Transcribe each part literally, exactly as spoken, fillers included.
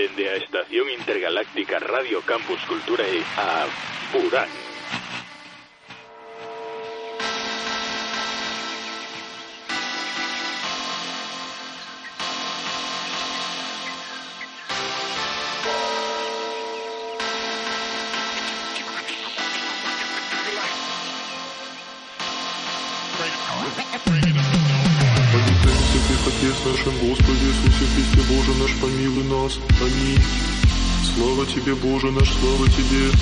dende a Estación Intergaláctica Radio Campus Culturae a Burán. Отец нашим, Господи Иисусе Христе, Боже наш, помилуй нас. Аминь. Слава Тебе, Боже наш, слава Тебе,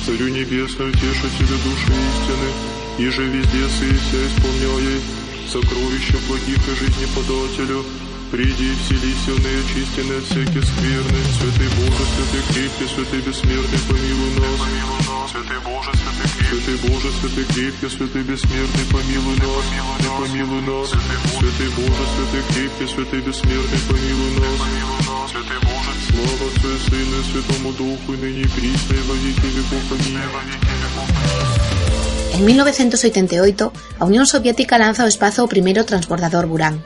Царю Небесный, Утешителю души истины, и же везде сыся исполняй сокровища благих и жизни подателю. Приди и вселися в неочистенные от всякой скверны. Святый Боже, святый крепкий, святый бессмертный, помилуй нас. Святый Боже, святый крепкий, святый Боже, святый крепкий, святый бессмертный, помилуй нас. И помилуй нас. Святый Боже, святый крепкий, святый бессмертный, помилуй нас. Святый Боже, слава Отцу и Сыну и Святому Духу, и ныне и присно, и во веки веков. Аминь. En mil novecientos oitenta y ocho, a Unión Soviética lanza ao espazo o primeiro transbordador Buran.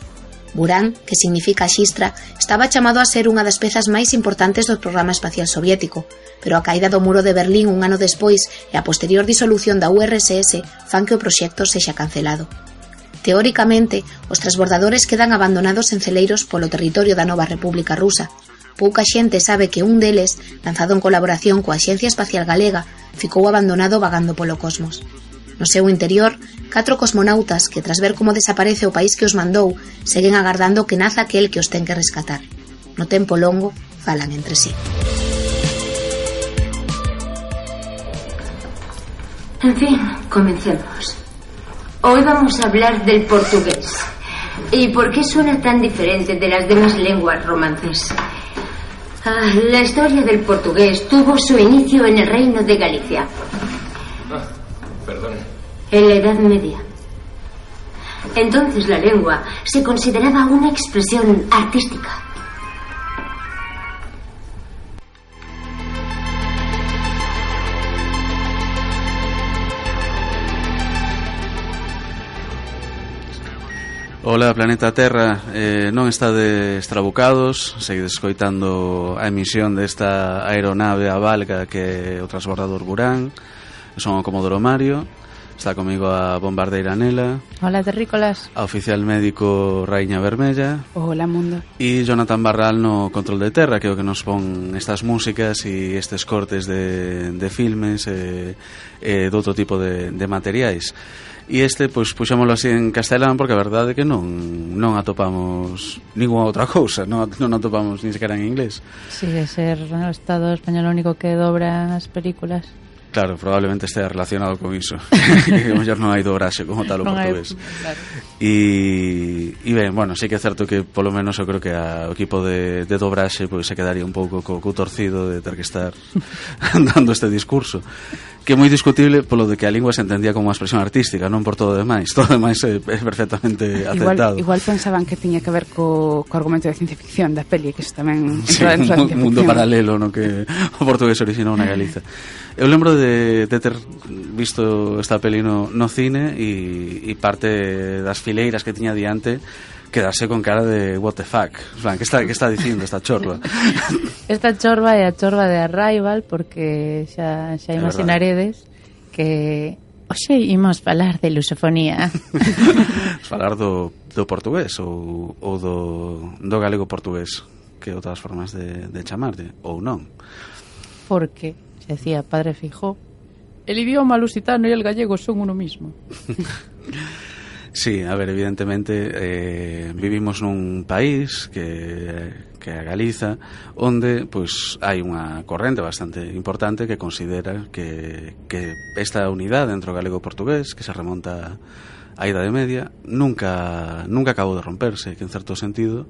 Buran, que significa xistra, estaba chamado a ser unha das pezas máis importantes do programa espacial soviético, pero a caída do muro de Berlín un ano despois e a posterior disolución da U R S S fan que o proxecto sexa cancelado. Teóricamente, os transbordadores quedan abandonados en celeiros polo territorio da nova República Rusa. Pouca xente sabe que un deles, lanzado en colaboración coa Axencia Espacial Galega, ficou abandonado vagando polo cosmos. No seu interior, catro cosmonautas que, tras ver como desaparece o país que os mandou, seguen agardando que naza aquel que os ten que rescatar. No tempo longo, falan entre sí. En fin, comencemos. Hoy vamos a hablar del portugués. ¿Y por qué suena tan diferente de las demás lenguas romances? Ah, la historia del portugués tuvo su inicio en el reino de Galicia. Perdón. En la Edad Media. Entonces la lengua se consideraba una expresión artística. Ola, planeta Terra, eh, non estades trabucados, seguides escoitando a emisión desta aeronave a valga que é o transbordador Buran. Son o Comodoro Mario, está comigo a bombardeira Nela. Hola, terrícolas. A oficial médico Raíña Vermella. Hola, mundo. E Jonathan Barral no control de terra, que é o que nos pon estas músicas e estes cortes de, de filmes e, e de outro tipo de, de materiais. E este, pois, puxámoslo así en castelán porque a verdade é que non non atopamos ninguna outra cousa, non, non atopamos ni sequera en inglés. Sigue ser o Estado español o único que dobra as películas. Claro, probablemente estea relacionado con iso. Que mellor non hai dobraxe como tal o non portugués. Claro. E, e ben, bueno, sí que é certo que polo menos eu creo que a, o equipo de, de dobraxe pois, se quedaría un pouco co, co torcido de ter que estar dando este discurso, que é moi discutible polo de que a lingua se entendía como unha expresión artística, non por todo o demais. Todo o demais é, é perfectamente aceptado. Igual, igual pensaban que tiña que ver co, co argumento de ciencia ficción da peli, que iso tamén sí, entra dentro da ciencia ficción. Un mundo paralelo no que o portugués orixinou na Galiza. Eu lembro de, de ter visto esta peli no, no cine e, e parte das fileiras que tiña diante quedarse con cara de what the fuck. En plan, que está, que está dicindo esta chorba? Esta chorba é a chorba de Arrival, porque xa, xa imaginaredes que hoxe imos falar de lusofonía. Falar do, do portugués ou, ou do, do galego portugués, que outras formas de, de chamarte, ou non. Porque decía Padre Fijó, el idioma lusitano y el gallego son uno mismo. Sí, a ver, evidentemente eh, vivimos nun país que, que é a Galiza, onde pois, hai unha corrente bastante importante que considera que, que esta unidade entre o galego e o portugués, que se remonta á Idade Media, nunca, nunca acabou de romperse, que en certo sentido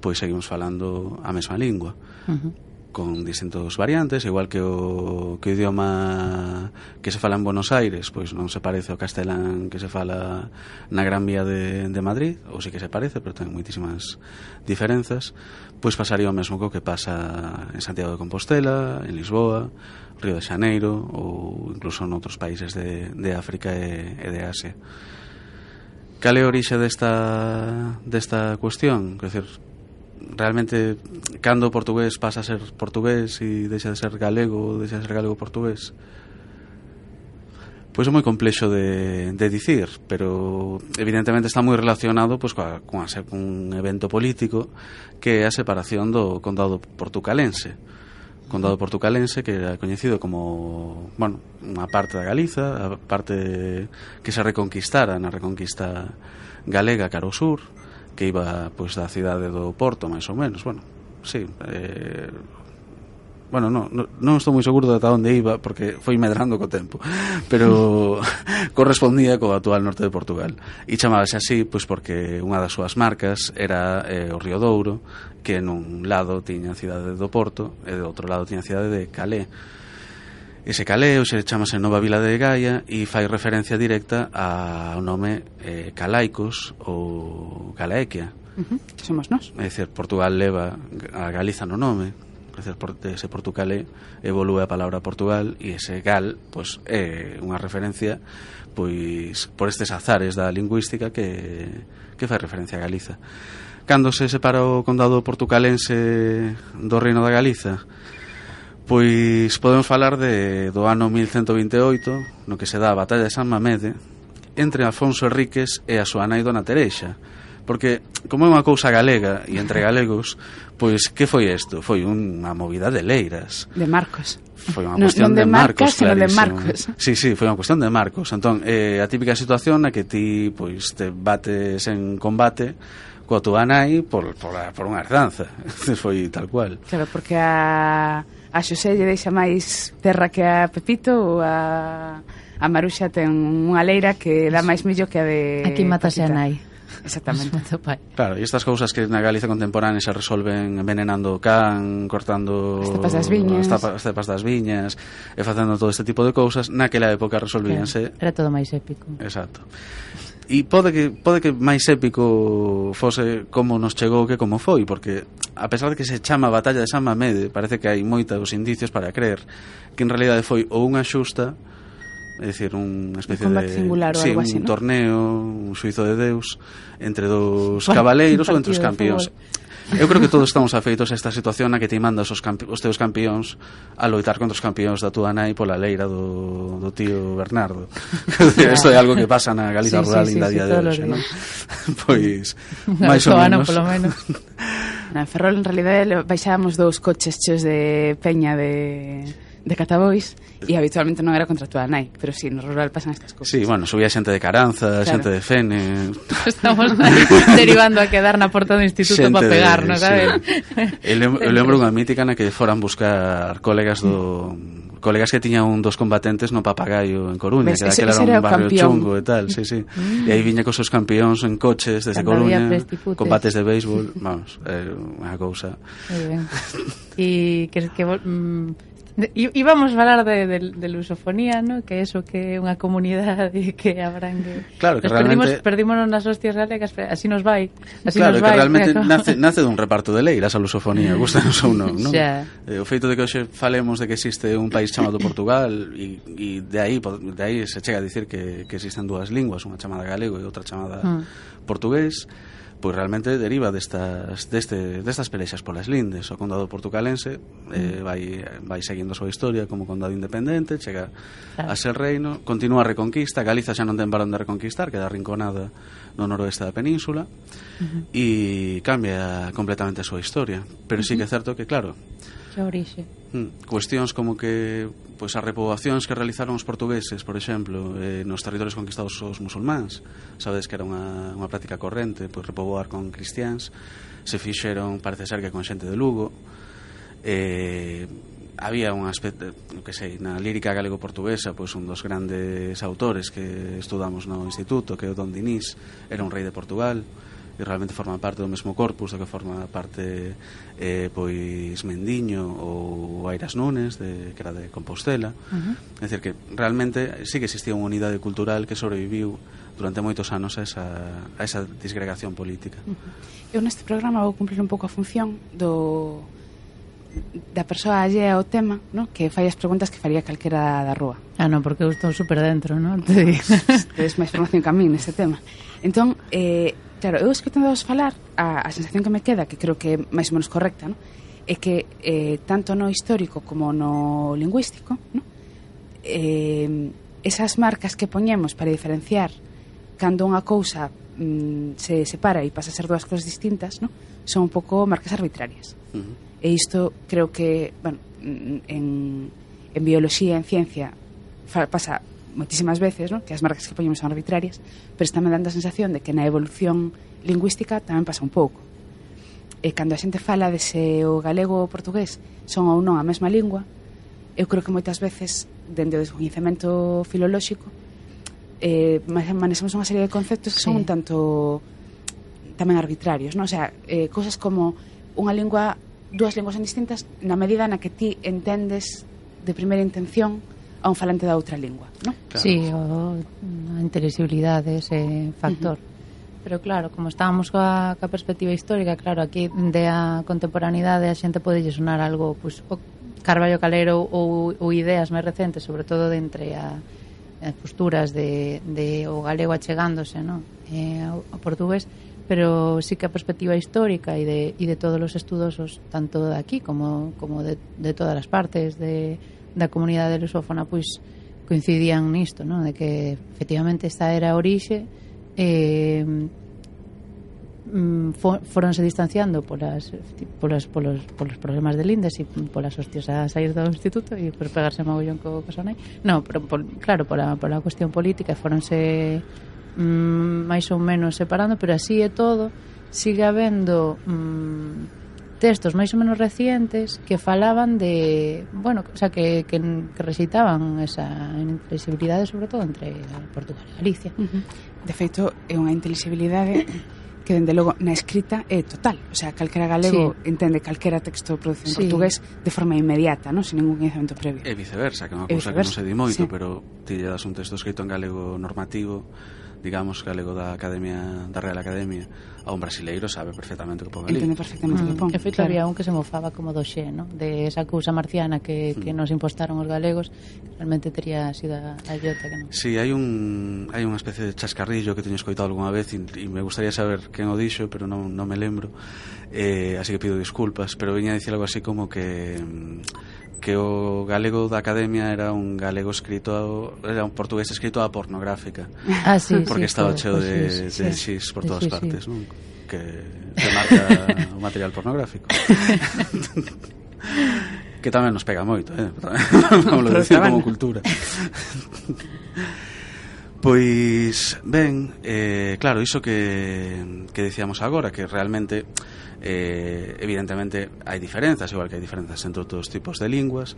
pois seguimos falando a mesma lingua. Uh-huh. Con distintos variantes, igual que o, que o idioma que se fala en Buenos Aires pois non se parece ao castelán que se fala na Gran Vía de, de Madrid, ou sí que se parece, pero ten moitísimas diferenzas. Pois pasaría o mesmo co que pasa en Santiago de Compostela, en Lisboa, Río de Xaneiro ou incluso en outros países de, de África e, e de Asia. Cal é a orixe desta, desta cuestión? Quer dizer, realmente cando o portugués pasa a ser portugués e deixa de ser galego, deixa de ser galego portugués, pois é moi complexo de, de dicir, pero evidentemente está moi relacionado pois, coa, coa, con un evento político que é a separación do condado portucalense. O condado portucalense que era coñecido como, bueno, unha parte da Galiza, a parte que se reconquistara na reconquista galega cara ao sur, que iba pois da cidade do Porto, máis ou menos, bueno, sí, eh, bueno, non, non estou moi seguro de ata onde iba porque foi medrando co tempo, pero correspondía co actual norte de Portugal e chamábase así pois porque unha das súas marcas era eh, o Río Douro, que nun lado tiña a cidade do Porto e do outro lado tiña a cidade de Calais. Ese Calais se chamase Nova Vila de Gaia e fai referencia directa ao nome eh, Calaicos ou Calaequia, uh-huh. que somos nós. É dicir, Portugal leva a Galiza no nome. Ese Portucalé evolúe a palabra Portugal e ese gal pois é unha referencia pois por estes azares da lingüística que, que fai referencia a Galiza. Cando se separa o condado portucalense do Reino da Galiza, pois podemos falar de, do ano mil cento vinte e oito, no que se dá a batalla de San Mamede entre Afonso Henriques e a súa nai Dona Tereixa, porque como é unha cousa galega e entre galegos, pois que foi isto? Foi unha movida de leiras. De Marcos. Foi unha cuestión non de, de Marcos, sino de Marcos. Sí, sí, foi unha cuestión de Marcos. Entón, eh, a típica situación na que ti pois te bates en combate coa túa nai por, por, por unha herdanza. Foi tal cual. Claro, porque a, a Xosé lle deixa máis terra que a Pepito ou a, a Maruxa ten unha leira que dá máis millo que a de Aquí matase a nai. Exactamente. Claro, e estas cousas que na Galiza contemporánea se resolven envenenando o can, cortando as cepas das viñas, as cepas das viñas e facendo todo este tipo de cousas, naquela época resolvíanse. Era todo máis épico. Exacto. E pode que pode que máis épico fose como nos chegou que como foi, porque a pesar de que se chama Batalla de San Mamede, parece que hai moitos indicios para creer que en realidade foi ou unha xusta, é dicir, unha especie un de singular ou sí, algo un así, ¿no? torneo, un xuizo de Deus entre dos cabaleiros ou entre os campións. Eu creo que todos estamos afeitos a esta situación na que te mandas os, campi os teus campións a loitar contra os campións da túa nai pola leira do, do tío Bernardo. Isto é algo que pasa na Galiza sí, rural sí, ainda sí, día sí, de hoxe, non? Pois, máis ou menos. Polo menos. Na Ferrol, en realidade, baixábamos dous coches cheos de peña de... de Catabois e habitualmente non era contra a túa nai, pero si, sí, no rural pasan estas cousas. Sí, bueno, subía xente de Caranza, claro. Xente de Fene. Estamos aí derivando a quedar na porta do instituto para pegarnos, sabes? Sí. Eu lembro unha mítica na que foran buscar colegas do colegas que tiñan un dos combatentes no Papagayo en Coruña, que ese, era, ese era un barrio campión. chungo e tal, sí, sí. Mm. E aí viña cos seus campións en coches desde Cando Coruña, combates de béisbol, vamos, é unha cousa. Moi ben. E que que mm, íbamos a falar de, de, de lusofonía, ¿no? Que eso, que é unha comunidade que abrangue. Claro, que nos realmente... perdimos, perdímonos nas hostias galegas, así nos vai. Así claro, nos vai, que realmente como... nace, nace dun reparto de leiras a lusofonía, gustanos ou non, non? Xa. Eh, o feito de que hoxe falemos de que existe un país chamado Portugal e, e de aí de aí se chega a dicir que, que existen dúas linguas, unha chamada galego e outra chamada mm. portugués, pois realmente deriva destas, deste, destas pelexas polas lindes. O condado portucalense eh, vai, vai seguindo a súa historia como condado independente, chega claro. a ser reino, continúa a reconquista, Galiza xa non ten varón de reconquistar, queda arrinconada no noroeste da península uh-huh. e cambia completamente a súa historia, pero uh-huh. sí que é certo que, claro, que orixe. Hmm, cuestións como que pois as repoboacións que realizaron os portugueses, por exemplo, eh, nos territorios conquistados os musulmáns, sabedes que era unha, unha práctica corrente, pois repoboar con cristiáns, se fixeron, parece ser que con xente de Lugo. Eh, había un aspecto, que sei, na lírica galego-portuguesa, pois un dos grandes autores que estudamos no instituto, que é o Don Dinís, era un rei de Portugal, e realmente forma parte do mesmo corpus do que forma parte eh, pois Mendiño ou Airas Nunes de, que era de Compostela. Uh-huh. É dicir que realmente sí que existía unha unidade cultural que sobreviviu durante moitos anos a esa, a esa disgregación política. Uh-huh. Eu neste programa vou cumplir un pouco a función do da persoa allea ao tema, ¿no? Que fai as preguntas que faría calquera da rúa. Ah, non, porque eu estou super dentro, non? Tedes máis formación que a mí neste tema. Entón, eh, Claro, eu escutando vos falar, a, a sensación que me queda, que creo que é máis ou menos correcta, ¿no? É que eh, tanto no histórico como no lingüístico, ¿no? eh, esas marcas que poñemos para diferenciar cando unha cousa mm, se separa e pasa a ser dúas cousas distintas, ¿no? Son un pouco marcas arbitrarias. Uh-huh. E isto creo que, bueno, en, en biología, en ciencia, fa, pasa moitísimas veces, ¿no? Que as marcas que poñemos son arbitrarias, pero está me dando a sensación de que na evolución lingüística tamén pasa un pouco. E cando a xente fala de se o galego ou o portugués son ou non a mesma lingua, eu creo que moitas veces, dende o descoñecemento filolóxico, eh, manexamos unha serie de conceptos que sí. son un tanto tamén arbitrarios, ¿no? O sea, eh, cosas como unha lingua, dúas linguas son distintas na medida na que ti entendes de primeira intención a un falante da outra lingua, ¿no? Claro. Sí, o a intelixibilidade ese factor. Uh-huh. Pero claro, como estábamos coa, coa perspectiva histórica, claro, aquí de a contemporaneidade a xente pode sonar algo, pues, o Carballo Calero ou, ou ideas máis recentes, sobre todo de entre a, as posturas de, de o galego achegándose, ¿no? eh, ao, ao portugués, pero sí que a perspectiva histórica e de, e de todos os estudosos, tanto de aquí como, como de, de todas as partes de da comunidade lusófona, pois coincidían nisto, ¿no? De que efectivamente esta era a orixe, eh, for, foronse distanciando polas, polas, polos, polos problemas de lindes e polas hostias a sair do instituto e por pegarse mogollón co Casonai. No, pero por, claro, pola, pola cuestión política foronse mm, máis ou menos separando, pero así é todo, sigue habendo mm, textos máis ou menos recientes que falaban de, bueno, o sea, que, que, que rexeitaban esa intelixibilidade, sobre todo entre Portugal e Galicia. Uh-huh. De feito, é unha intelixibilidade que, dende logo, na escrita é total. O sea, calquera galego sí. entende calquera texto producido en sí. portugués de forma inmediata, ¿no? Sin ningún conhecimento previo. E viceversa, que é unha cousa que non se di moito, sí. pero ti lle das un texto escrito en galego normativo, digamos, galego da Academia, da Real Academia, a un brasileiro sabe perfectamente o que pon ali. Entende perfectamente o que pon. En feito, claro. Había un que se mofaba como do xe, ¿no? De esa cousa marciana que, que mm. nos impostaron os galegos, que realmente tería sido a, a idiota que non. Sí, hai un hai unha especie de chascarrillo que teño escoitado algunha vez e, e me gustaría saber quen o dixo, pero non, non me lembro. Eh, así que pido disculpas, pero viña a dicir algo así como que que o galego da Academia era un galego escrito a, era un portugués escrito a pornográfica. Ah, sí, porque sí, estaba pues, cheo de, sí, de sí, xis por sí, todas sí, partes, sí. ¿no? Que, que marca o material pornográfico. Que tamén nos pega moito, eh? Como lo decía, como cultura. Pois, ben, eh, claro, iso que, que dicíamos agora, que realmente eh, evidentemente hai diferenzas, igual que hai diferenzas entre outros tipos de linguas.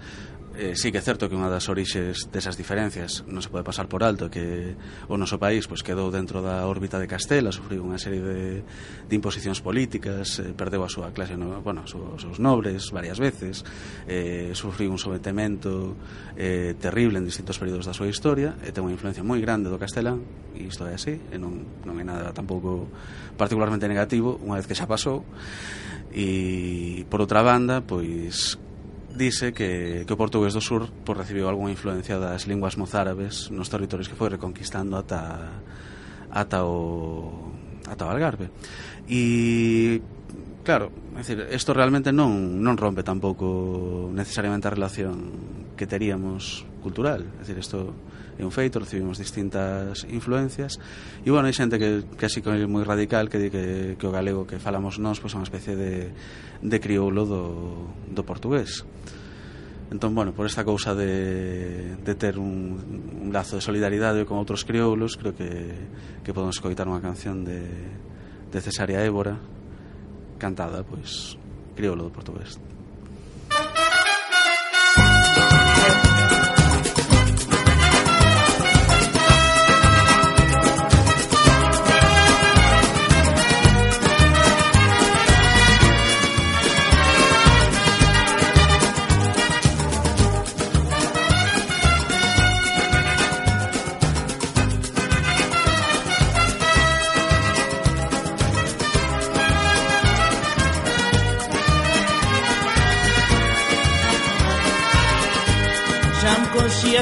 Eh, sí que é certo que unha das orixes desas diferencias non se pode pasar por alto, que o noso país pois, quedou dentro da órbita de Castela, sufriu unha serie de, de imposicións políticas, eh, perdeu a súa clase, no, bueno, os seus nobres varias veces, eh, sufriu un sometemento eh, terrible en distintos períodos da súa historia, e ten unha influencia moi grande do castelán, e isto é así, e non, non é nada tampouco particularmente negativo unha vez que xa pasou. E por outra banda, pois dice que, que o portugués do sur pues, recibiu algunha influencia das linguas mozárabes nos territorios que foi reconquistando ata ata o ata o Algarve. E claro, é dicir, isto realmente non non rompe tampouco necesariamente a relación que teríamos cultural, é dicir, isto é un feito, recibimos distintas influencias e, bueno, hai xente que, que así que é moi radical que di que, que o galego que falamos nós pois, é unha especie de, de crioulo do, do portugués. Entón, bueno, por esta cousa de, de ter un, un lazo de solidaridade con outros crioulos, creo que, que podemos escoitar unha canción de, de Cesárea Évora cantada, pois, crioulo do portugués.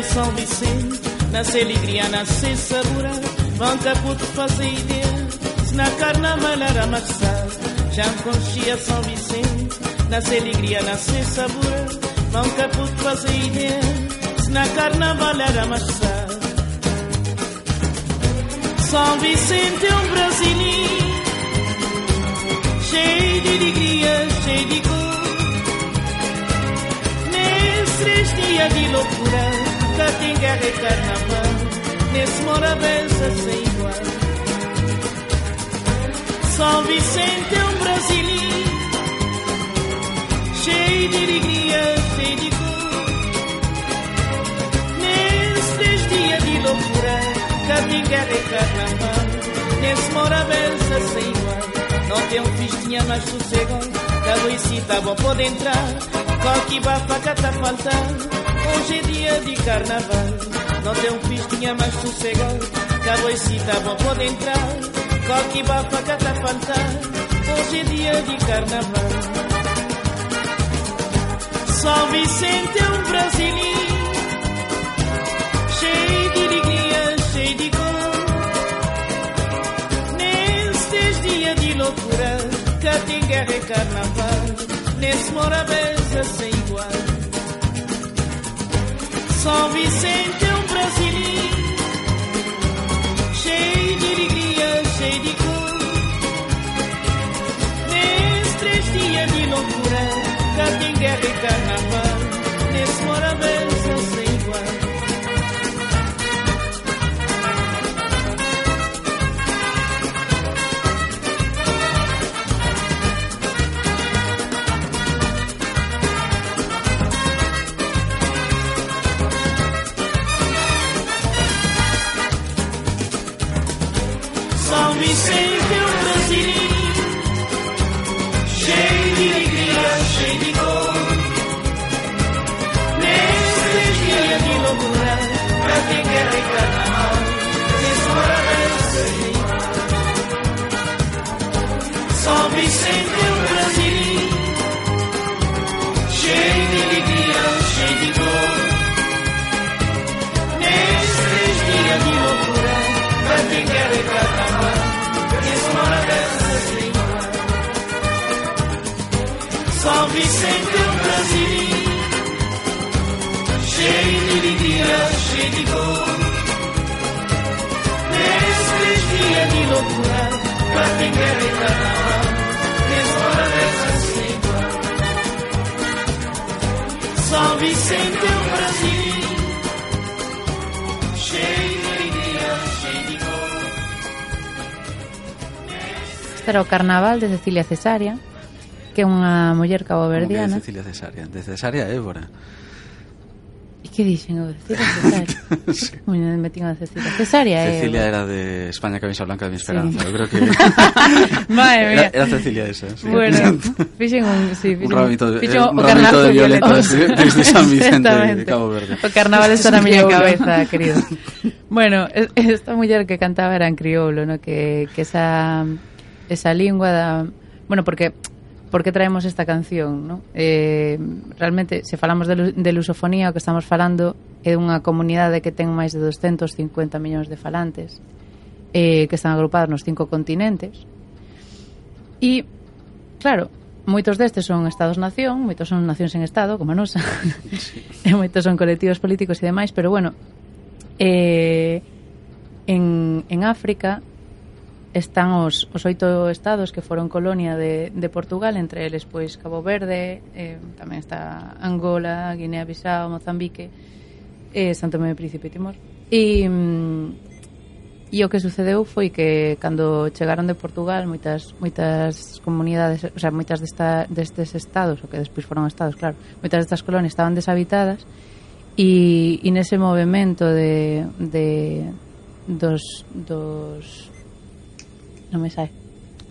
São Vicente, nasce alegria, nasce sabor, vão caputo fazer ideia, na carnaval era machado, já conchia São Vicente, nasce alegria, nasce sabor, não caputo fazer ideia, na carnaval era machado. São Vicente é um brasileiro, cheio de alegria, cheio de cor. Nesses três dias de loucura, cá tem guerra e carnaval, nesse morabença sem igual. São Vicente é um brasileiro, cheio de alegria, cheio de cor. Nesses três dias de loucura, cá tem guerra e carnaval, nesse morabença sem igual. Não tem um festinha mais sossegado, cada isita bom pode entrar, qualquer bafa cá tá faltando, hoje é dia de carnaval. Não tem um festinha mais sossegado, cada isita bom pode entrar, qualquer bafa cá tá faltando, hoje é dia de carnaval. São Vicente é um brasileiro, cheio de alegria, cheio de cor. Nesses dias de loucura, cá tem guerra e carnaval, nesse morabença sem igual. São Vicente é um brasileiro, cheio de alegria, cheio de cor. Nesses três dias de loucura, cá tem guerra e carnaval, nesse morabença sem igual. São Vicente é um brasileiro, cheio de alegria, cheio de cor. Nesses dias de loucura, cá tem guerra e carnaval, nesse morabença sem igual. São Vicente é um brasileiro, cheio de alegria, cheio de cor. Nesses dias de loucura, cá tem guerra e carnaval, nesse morabença sem igual. São Vicente é um brasileiro, cheio de alegria, cheio de cor. Nesses dias de loucura, cá tem guerra e carnaval, nesse morabença sem igual. São Vicente é um brasileiro, cheio de alegria, cheio de cor. Este era o Carnaval de Cecilia Cesárea, que é unha muller caboverdiana. Como que é Cecilia Cesárea? De Cesárea Évora. E que dixen o Cecilia Cesárea? Sí. Moi me metín a Cecilia Cesárea. Cecilia eh, era de España camisa blanca de mi esperanza. Sí. Yo creo que Madre mía. era, era Cecilia esa. Sí. Bueno, fixen un, sí, un fixen ramito de, fixen un o ramito carnaval de violetas de desde de San Vicente de Exactamente. Cabo Verde. O carnaval está na miña cabeza, querido. Bueno, es- esta muller que cantaba era en crioulo, ¿no? Que, que esa esa lingua da, bueno, porque porque traemos esta canción, ¿no? Eh, realmente, se falamos de, lu- de lusofonía, o que estamos falando é dunha comunidade que ten máis de doscientos cincuenta millóns de falantes, eh, que están agrupados nos cinco continentes. E, claro, moitos destes son estados-nación, moitos son nacións en estado, como a nosa, e moitos son colectivos políticos e demais, pero bueno, eh, en, en África están os, os oito estados que foron colonia de, de Portugal, entre eles pois Cabo Verde, eh, tamén está Angola, Guinea-Bissau, Mozambique, eh, Santo Tomé e Príncipe e Timor. E, mm, e o que sucedeu foi que cando chegaron de Portugal moitas moitas comunidades, o sea, moitas desta, destes estados, o que despois foron estados, claro, moitas destas colonias estaban deshabitadas e, e nese movimento de, de dos dos non me sai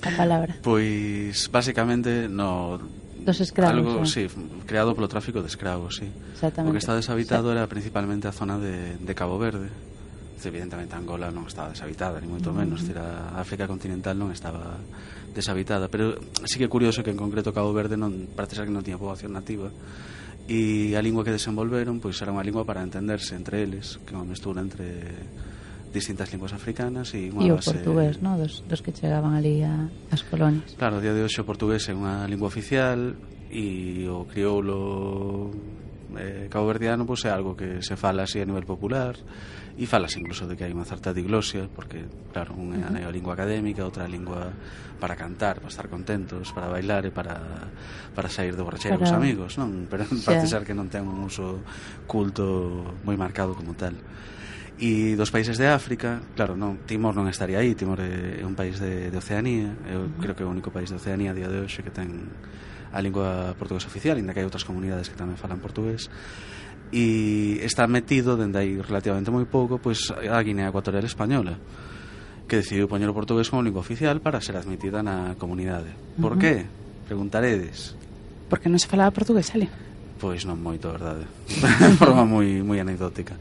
a palabra. Pois basicamente no Dos escravos. algo, eh. sí, creado polo tráfico de escravos, sí. Exactamente. O que está deshabitado era principalmente a zona de, de Cabo Verde. Evidentemente Angola non estaba deshabitada, ni moito menos, uh -huh. A África continental non estaba deshabitada, pero sí que é curioso que en concreto Cabo Verde non parece ser que non tiña poboación nativa, e a lingua que desenvolveron pois era unha lingua para entenderse entre eles, que é unha mestura entre distintas linguas africanas e unha E o base... portugués, ¿no? Dos, dos que chegaban ali a, as colonias. Claro, a día de hoxe o portugués é unha lingua oficial e o crioulo eh, caboverdiano pois, é algo que se fala así a nivel popular e falas incluso de que hai unha certa diglosia porque, claro, unha é a lingua académica, outra a lingua para cantar, para estar contentos, para bailar e para, para sair de borracheira para... cos amigos, non? Pero parece ser que non ten un uso culto moi marcado como tal. E dos países de África, claro, non, Timor non estaría aí, Timor é un país de, de Oceanía, eu uh-huh. creo que é o único país de Oceanía a día de hoxe que ten a lingua portuguesa oficial, ainda que hai outras comunidades que tamén falan portugués, e está metido dende aí relativamente moi pouco pois a Guinea Ecuatorial Española, que decidiu poñer o portugués como lingua oficial para ser admitida na comunidade. Por uh-huh. que? Preguntaredes. Porque non se falaba portugués, ali? Pois non moito, a verdade. De forma moi, moi anecdótica.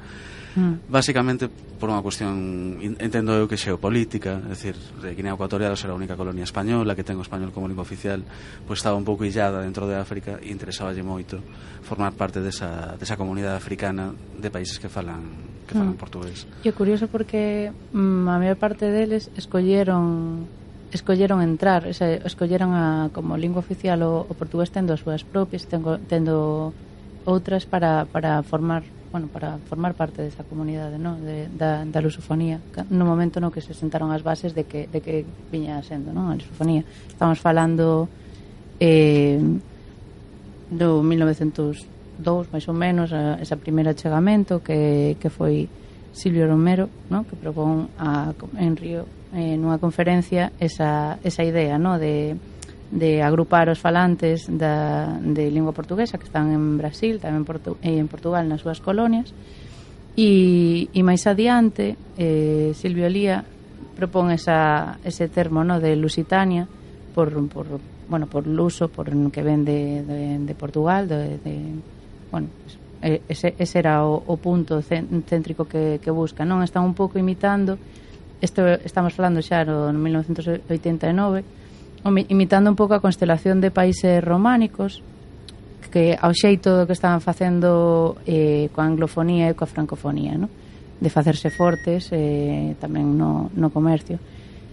Mm. Básicamente por unha cuestión, entendo eu que xeopolítica, é dicir, Guinea Ecuatorial será a única colonia española que ten o español como lingua oficial, pois estaba un pouco illada dentro de África e interesaballe moito formar parte desa, desa comunidade africana de países que falan que falan mm. portugués. E é curioso porque mm, a maior parte deles escolleron escolleron entrar, esa, escolleron a, como lingua oficial o, o portugués tendo as súas propias, tendo, tendo outras para, para formar bueno, para formar parte desa comunidade, ¿no? de, da, da lusofonía, no momento no que se sentaron as bases de que, de que viña sendo, ¿no? A lusofonía. Estamos falando eh, do mil novecentos e dous, máis ou menos, a, esa primeira achegamento que, que foi Silvio Romero, ¿no? Que propón a, en Río, eh, nunha conferencia, esa, esa idea, ¿no? de de agrupar os falantes da, de lingua portuguesa que están en Brasil, tamén Portu, e en Portugal nas súas colonias e, e máis adiante eh, Silvio Lía propón esa, ese termo, no, de Lusitania por, por, bueno, por luso por que ven de, de, de Portugal de, de, bueno, ese, ese era o, o punto céntrico que, que busca, non? Están un pouco imitando isto, estamos falando xa no mil novecentos oitenta e nove, imitando un pouco a constelación de países románicos que ao xeito que estaban facendo eh, coa anglofonía e coa francofonía, ¿no? De facerse fortes eh, tamén no, no comercio.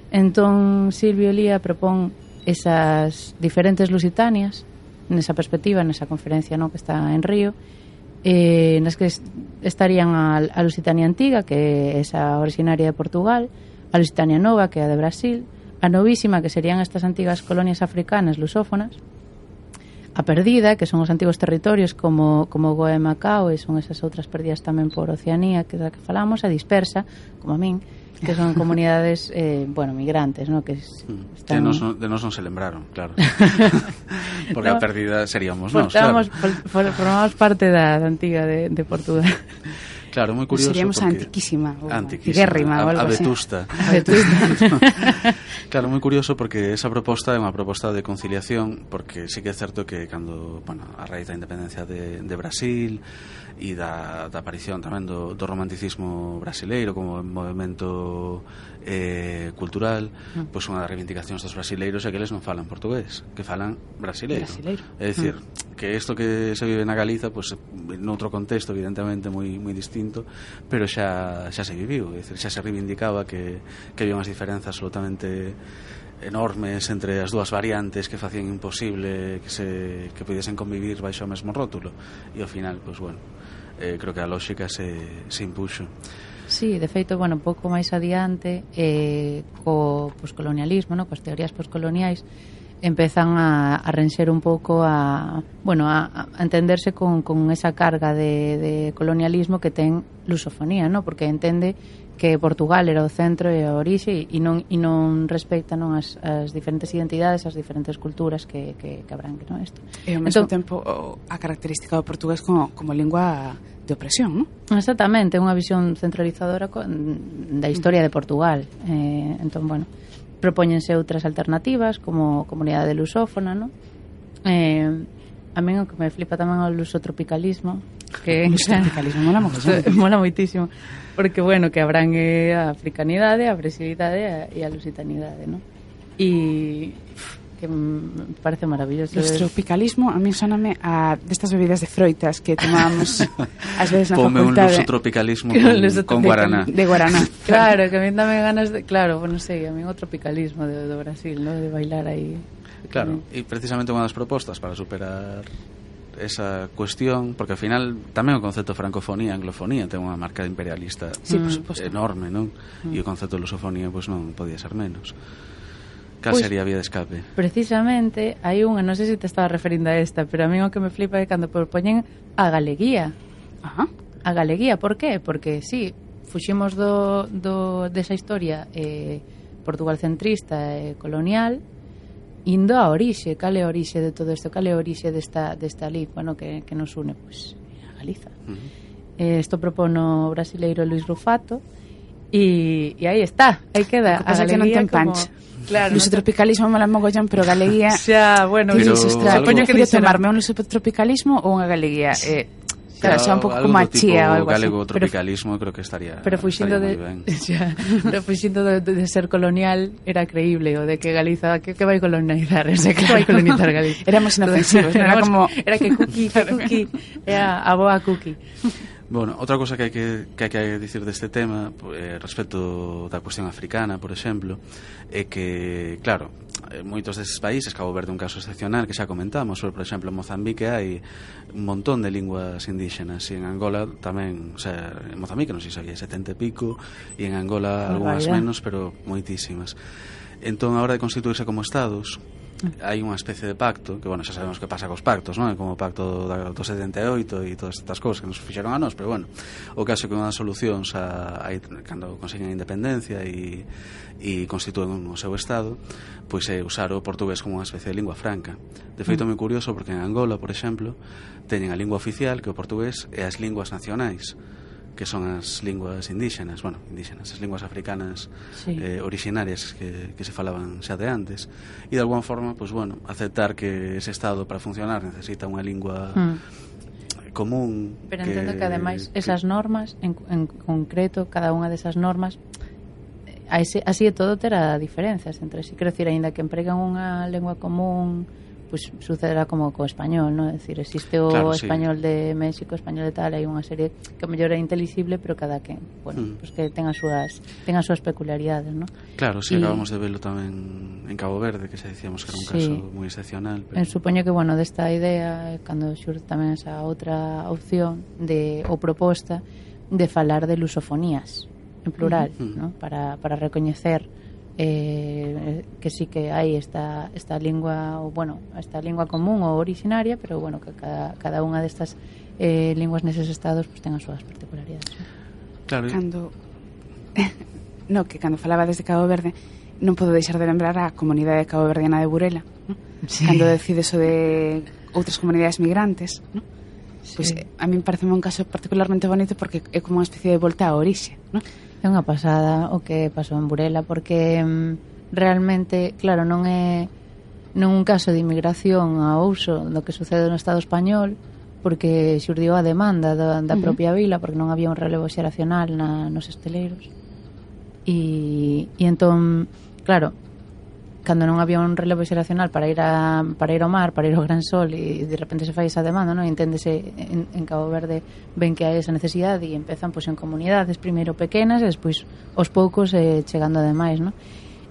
Entón Silvio Lía propón esas diferentes lusitanias nesa perspectiva, nesa conferencia, ¿no? Que está en Río, eh, nas que estarían a, a Lusitania antiga, que é esa originaria de Portugal, a Lusitania nova, que é a de Brasil, a novísima, que serían estas antigas colonias africanas lusófonas, a perdida, que son os antigos territorios como, como Goa e Macao, e son esas outras perdidas tamén por Oceanía, que da que falamos, a dispersa, como a min, que son comunidades, eh, bueno, migrantes, ¿no? Que están... de, nos, de nos non se lembraron, claro. Porque no, a perdida seríamos nós, claro. Formamos parte da, da antiga de, de Portugal. Claro, moi curioso. Seríamos porque... antiquísima, antiquísima, guérrima, a, ou algo a vetusta. A vetusta. Claro, moi curioso porque esa proposta é unha proposta de conciliación, porque sí que é certo que cando, bueno, a raíz da independencia de, de Brasil e da, da aparición tamén do, do romanticismo brasileiro como movimento eh, cultural, mm. pois unha das reivindicacións dos brasileiros é que eles non falan portugués, que falan brasileiro. brasileiro. É dicir, mm. que isto que se vive na Galiza, pois noutro contexto evidentemente moi moi distinto, pero xa xa se viviu, é dicir, xa se reivindicaba que que había unhas diferenzas absolutamente enormes entre as dúas variantes que facían imposible que se que pudiesen convivir baixo o mesmo rótulo e ao final, pois bueno, eh, creo que a lógica se, se impuxo. Sí, de feito, bueno, un pouco máis adiante eh, co poscolonialismo, no? Coas teorías poscoloniais empezan a, a renxer un pouco a, bueno, a, a entenderse con, con esa carga de, de colonialismo que ten lusofonía, no? Porque entende que Portugal era o centro e a orixe e non, e non respecta, non, as, as diferentes identidades, as diferentes culturas que, que, que abrangue, non, isto. E ao mesmo entón, tempo a característica do portugués como, como lingua de opresión, non? Exactamente, unha visión centralizadora con, da historia de Portugal. Eh, entón, bueno, propóñense outras alternativas como comunidade lusófona, non? Eh, a min o que me flipa tamén o lusotropicalismo, que o lusotropicalismo mola mogollón. Mola moitísimo. Porque, bueno, que abrangue a africanidade, a brasilidade e a lusitanidade, ¿no? E que me parece maravilloso. Los tropicalismo, a mí soname a destas bebidas de froitas que tomábamos ás veces na Pome facultade. un luso tropicalismo con, luso con guaraná. De guaraná. Claro, que a mí dame ganas de... Claro, bueno, sei, a mí o tropicalismo de, de Brasil, ¿no? De bailar aí. Claro, e precisamente unha das propostas para superar esa cuestión, porque ao final tamén o concepto de francofonía, anglofonía ten unha marca imperialista Sí, por suposto. enorme, non? Mm. E o concepto de lusofonía pois non podía ser menos. Cal Pois, sería a vía de escape? Precisamente, hai unha, non sei se te estaba referindo a esta, pero a mí o que me flipa é cando propoñen a galeguía. Ajá. A galeguía, por qué? Porque, sí, fuximos do, do, desa historia eh, portugalcentrista e eh, colonial, indo a orixe, cal é a orixe de todo isto, cal é a orixe desta, desta lingua, no, que, que nos une, pois, a Galiza. Uh-huh. Eh, isto propono o brasileiro Luis Rufato, e, e aí está, aí queda. O que pasa é que non ten como... pancha. Claro, Luso non te... tropicalismo mola mogollón, pero galeguía... Xa, bueno, Pero Pero, ostras, algo- poño que que dixera- tomarme un luso tropicalismo ou unha galeguía. Eh, claro, xa un pouco Algo como a do tipo chía ou algo así. galego tropicalismo, creo que estaría Pero fuxindo estaría de, moi ben. xa, pero fuxindo de, de ser colonial era creíble, o de que Galiza que, que vai colonizar, o sea, que vai colonizar Galiza. Éramos inofensivos, non era como... era que cookie, que cookie, era a boa cookie. Bueno, outra cosa que hai que, que hai que dicir deste tema eh, respecto da cuestión africana, por exemplo, é que, claro, eh, moitos destes países, Cabo Verde é un caso excepcional que xa comentamos, pero, por exemplo, en Mozambique hai un montón de linguas indígenas, e en Angola tamén, o sea, en Mozambique non sei se había setenta e pico, e en Angola algunhas menos, pero moitísimas. Entón, a hora de constituirse como estados, hai unha especie de pacto, que, bueno, xa sabemos que pasa cos pactos, non? Como o pacto da, do setenta e oito e todas estas cousas que nos fixeron a nós, pero, bueno, o caso é que unha das solucións a, a, cando consiguen a independencia e, e constitúen o seu estado, pois é usar o portugués como unha especie de lingua franca. De feito, é moi curioso porque en Angola, por exemplo, teñen a lingua oficial, que é o portugués, e as linguas nacionais, que son as linguas indígenas, bueno, indígenas, as linguas africanas, Sí. eh, originarias que, que se falaban xa de antes, e de alguma forma, pues bueno, aceptar que ese estado para funcionar necesita unha lingua Mm. común. Pero que, entendo que ademais esas normas en, en concreto, cada unha desas normas eh, así, así de todo terá diferencias entre si, quero dicir, aínda que empreguen unha lengua común, pues sucederá como co español, ¿no? Es decir, existe o Claro, sí. español de México, español de tal, hai unha serie que mellor é inteligible, pero cada que, bueno, Mm. pues que ten as súas ten as súas peculiaridades, ¿no? Claro, si sí, Y- acabamos de verlo tamén en Cabo Verde, que se decíamos que era un Sí. caso moi excepcional, pero... En supoño que, bueno, desta idea, eh, cando xurde tamén esa outra opción de ou proposta de falar de lusofonías en plural, Mm. ¿no? Para, para recoñecer eh, que sí que hai esta, esta lingua, ou, bueno, esta lingua común ou originaria, pero, bueno, que cada, cada unha destas eh, linguas neses estados pues, ten as súas particularidades, ¿no? Claro, e- Cando... no, que cando falaba desde Cabo Verde non podo deixar de lembrar a comunidade caboverdiana de Burela, ¿no? Sí. Cando decide eso de outras comunidades migrantes, ¿no? Pois Sí. pues, a min parece un caso particularmente bonito porque é como unha especie de volta á orixe, ¿no? É unha pasada o que pasou en Burela, porque mm, realmente, claro, non é non un caso de inmigración a uso do que sucede no Estado español, porque xurdiu a demanda da, da Uh-huh. propia vila, porque non había un relevo xeracional na, nos esteleiros. E, e entón, claro, cando non había un relevo xeracional para ir a para ir ao mar, para ir ao gran sol, e de repente se fai esa demanda, non? Enténdese en, en Cabo Verde ven que hai esa necesidade e empezan pois en comunidades primeiro pequenas e despois aos poucos eh, chegando ademais, non?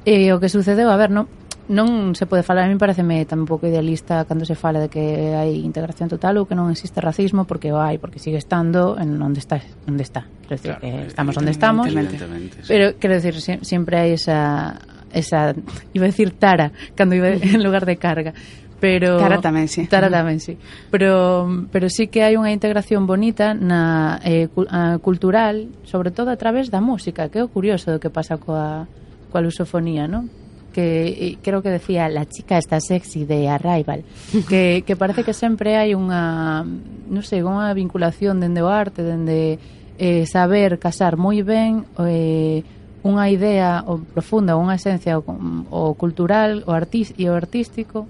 E o que sucedeu, a ver, non non se pode falar, a mí pareceme tamén un pouco idealista cando se fala de que hai integración total ou que non existe racismo, porque o hai, porque sigue estando en onde está, onde está. Quero decir, Claro, que estamos onde estamos, evidentemente, sí. pero quero decir, si- sempre hai esa esa, iba a decir tara, cando iba en lugar de carga, pero Tara tamén, sí. Tara tamén, sí. Pero pero sí que hai unha integración bonita na eh, cu- a, cultural, sobre todo a través da música, que é o curioso do que pasa coa coa lusofonía, ¿no? Que eh, creo que decía la chica está sexy de Arrival, que que parece que sempre hai unha, non sei, unha vinculación dende o arte, dende eh, saber casar moi ben eh unha idea o profunda, unha esencia o, o cultural, o artis, e o artístico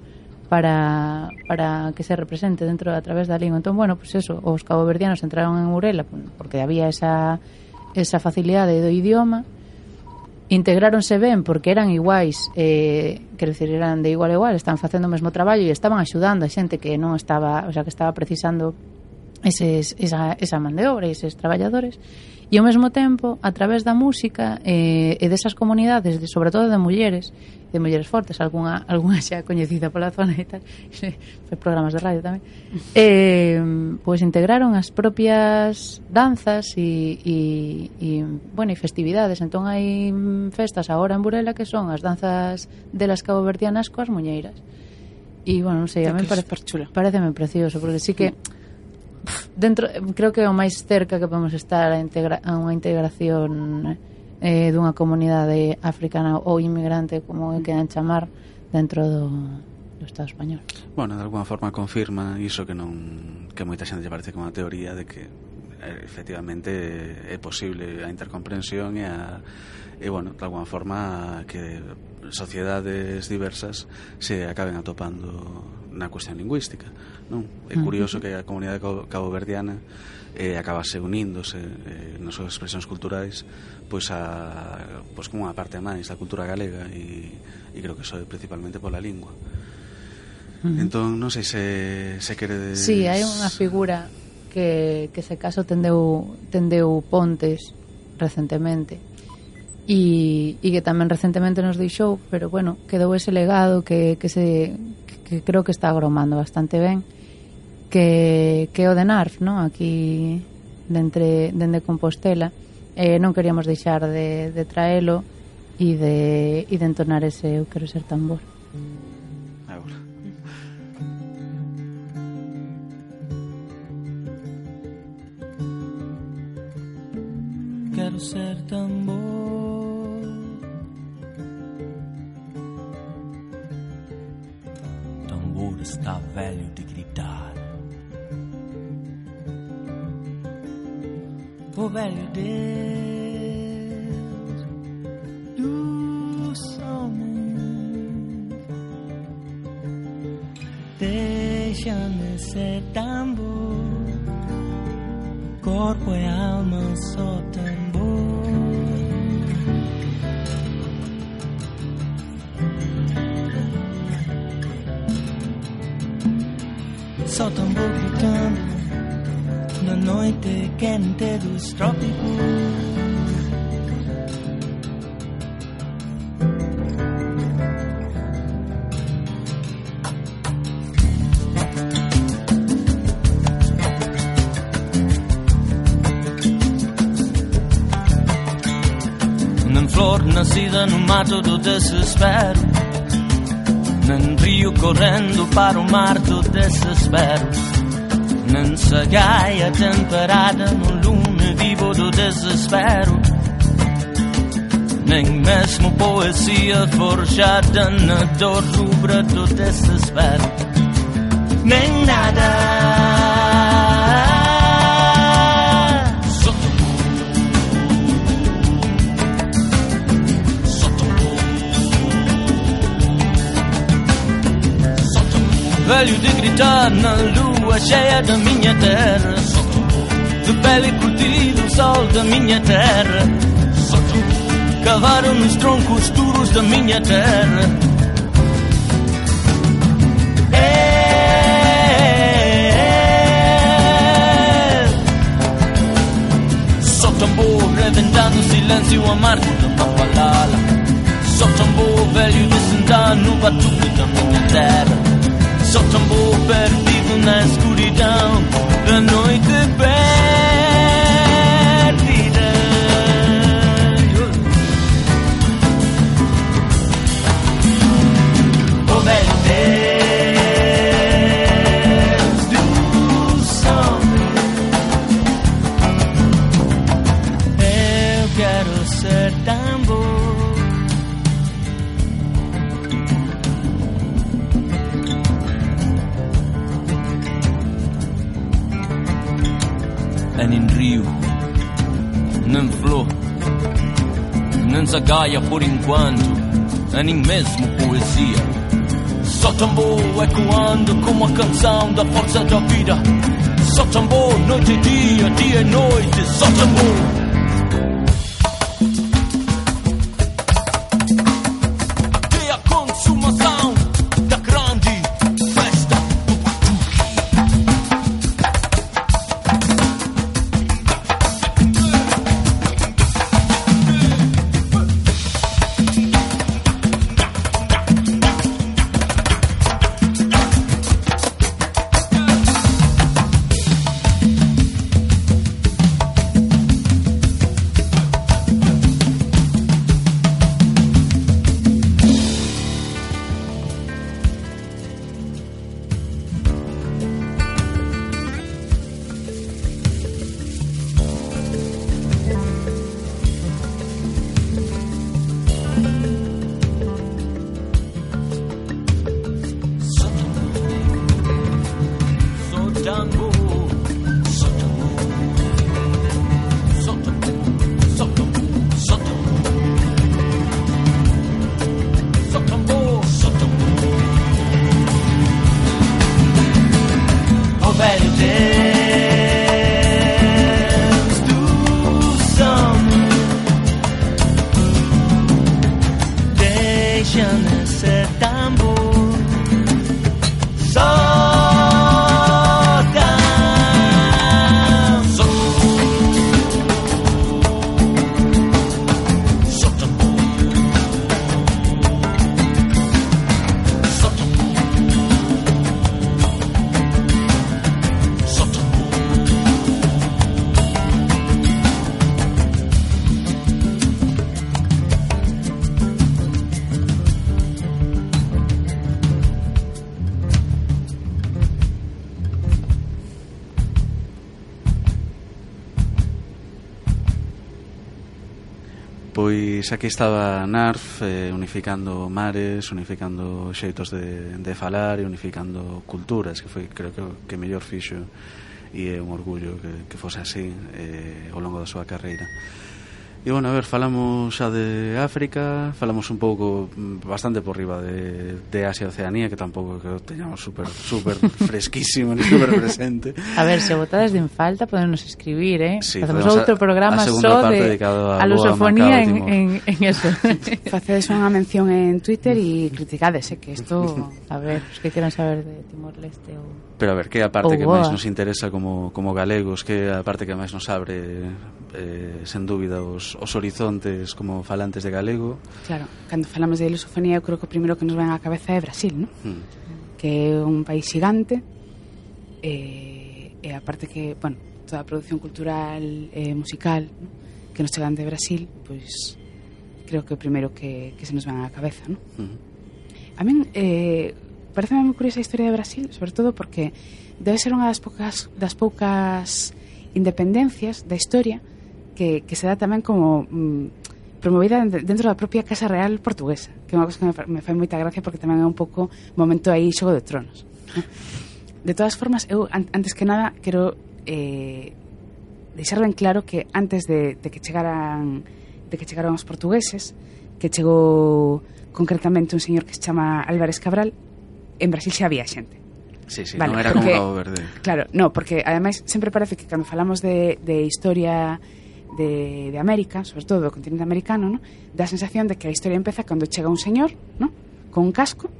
para, para que se represente dentro a través da lingua. Entón, bueno, pues eso, os caboverdianos entraron en Urela porque había esa, esa facilidade do idioma integráronse ben porque eran iguais, eh, quero dicir, eran de igual a igual, estaban facendo o mesmo traballo e estaban axudando a xente que non estaba, o sea, que estaba precisando eses, esa, esa man de obra e eses traballadores, e ao mesmo tempo, a través da música eh, e desas comunidades, de, sobre todo de mulleres, de mulleres fortes, algunha, algunha xa coñecida pola zona e tal, foi programas de radio tamén, eh, pois integraron as propias danzas e, e, e, bueno, e festividades. Entón hai festas agora en Burela que son as danzas delas caboverdianas coas muñeiras. E, bueno, non sei, a mí parece, pareceme precioso, porque sí que dentro, creo que é o máis cerca que podemos estar a, integra, a unha integración eh, dunha comunidade africana ou inmigrante, como quedan chamar, dentro do, do Estado español. Bueno, de alguna forma confirma iso que non, que moita xente lle parece como unha teoría de que eh, efectivamente é posible a intercomprensión e a e, bueno, de alguna forma que sociedades diversas se acaben atopando na cuestión lingüística, non? É curioso que a comunidade caboverdiana eh, acabase uníndose eh, nas súas expresións culturais pois a pois como unha parte máis da cultura galega e, e creo que iso é principalmente pola lingua. Uh-huh. Entón, non sei se, se queredes... Sí, hai unha figura que, que se caso tendeu, tendeu pontes recentemente e, e que tamén recentemente nos deixou, pero bueno, quedou ese legado que, que se que creo que está agromando bastante ben, que, que o de Narf, ¿no? Aquí dende, dende Compostela, eh, non queríamos deixar de, de traelo e de, e de entonar ese Eu quero ser tambor. Agora. Quero ser tambor, está velho de gritar. O velho Deus dos homens, deixa-me ser tambor, corpo e alma só tambor. Só tambor gritando na noite quente dos trópicos. Nem flor nascida no mato do desespero, nem rio correndo para o mar do desespero, nem sagaia temperada no lume vivo do desespero, nem mesmo poesia forjada na dor rubra do desespero, nem nada. Velho de gritar na lua cheia da minha terra, de pele curtida o sol da minha terra, cavaram nos troncos duros da minha terra. É, só tambor reventando o silêncio amargo da Mapalala, só tambor velho de sentar no batuque da minha terra. Só tambor perdido na escuridão da noite perdida. O velho Deus dos homens, eu quero ser tambor. E nem rio, nem flor, nem zagaia por enquanto, e nem mesmo poesia. Só tambor ecoando como a canção da força da vida. Só tambor noite e dia, dia e noite. Só tambor. tambor. Solta, solta, solta, solta tambor, solta. O velho Deus do som, deixa nesse tambor. Pois aquí estaba Narf eh, unificando mares, unificando xeitos de, de falar e unificando culturas, que foi, creo que, que mellor fixo, e é un orgullo que, que fose así eh, ao longo da súa carreira. E, bueno, a ver, falamos xa de África, falamos un pouco, bastante por riba de, de Asia e Oceanía, que tampouco que o teñamos super, super fresquísimo ni super presente. A ver, se botades en falta, podemos escribir, eh? Sí, Facemos outro programa só de a lusofonía en, en, en eso. Facedes unha mención en Twitter e criticades, eh, que isto, a ver, os que queran saber de Timor-Leste ou... Pero a ver, que é a parte que máis nos interesa como, como galegos, que é a parte que máis nos abre, eh, sen dúbida, os, os horizontes como falantes de galego. Claro, cando falamos de lusofonía, eu creo que o primeiro que nos ven á cabeza é Brasil, ¿no? Mm. Que é un país xigante, e, e a parte que, bueno, toda a produción cultural e eh, musical, ¿no?, que nos chegan de Brasil, pois creo que o primeiro que, que se nos ven á cabeza, ¿no? Mm. A min, eh, parece moi curiosa a historia de Brasil, sobre todo porque debe ser unha das poucas, das poucas independencias da historia que, que se dá tamén como mm, promovida dentro da propia Casa Real portuguesa, que é unha cosa que me, me fai moita gracia porque tamén é un pouco momento aí Xogo de Tronos, ¿no? De todas formas, eu an, antes que nada quero eh, deixar ben claro que antes de, de que chegaran de que chegaron os portugueses, que chegou concretamente un señor que se chama Álvarez Cabral, en Brasil xa había xente. Sí, sí, vale, non era porque, como Cabo Verde. Claro, no, porque ademais sempre parece que cando falamos de, de historia de, de América, sobre todo do continente americano, ¿no?, dá a sensación de que a historia empeza cando chega un señor, ¿no?, con un casco,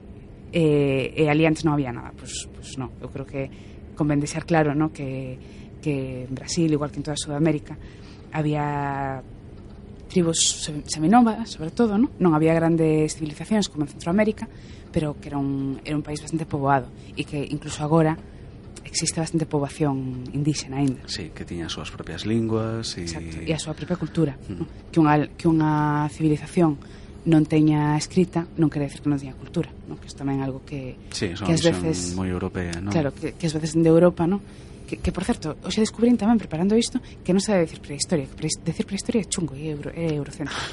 e, e ali antes non había nada. Pois pues, pues no, eu creo que convén deixar claro, ¿no?, que, que en Brasil, igual que en toda Sudamérica, había tribos seminómadas, sobre todo, ¿no? Non había grandes civilizacións como en Centroamérica, pero que era un, era un país bastante poboado e que incluso agora existe bastante poboación indígena ainda. Sí, que tiña as súas propias linguas e... Exacto, e a súa propia cultura, mm. ¿no? Que unha, que unha civilización non teña escrita non quere decir que non teña cultura, ¿no? Que isto tamén é algo que, sí, son, que ás veces moi europea, ¿no? Claro, que, que ás veces de Europa, ¿no? Que, que por certo, hoxe descubrín tamén preparando isto que non se debe decir prehistoria, que pre, decir prehistoria é chungo e é, euro, é eurocéntrico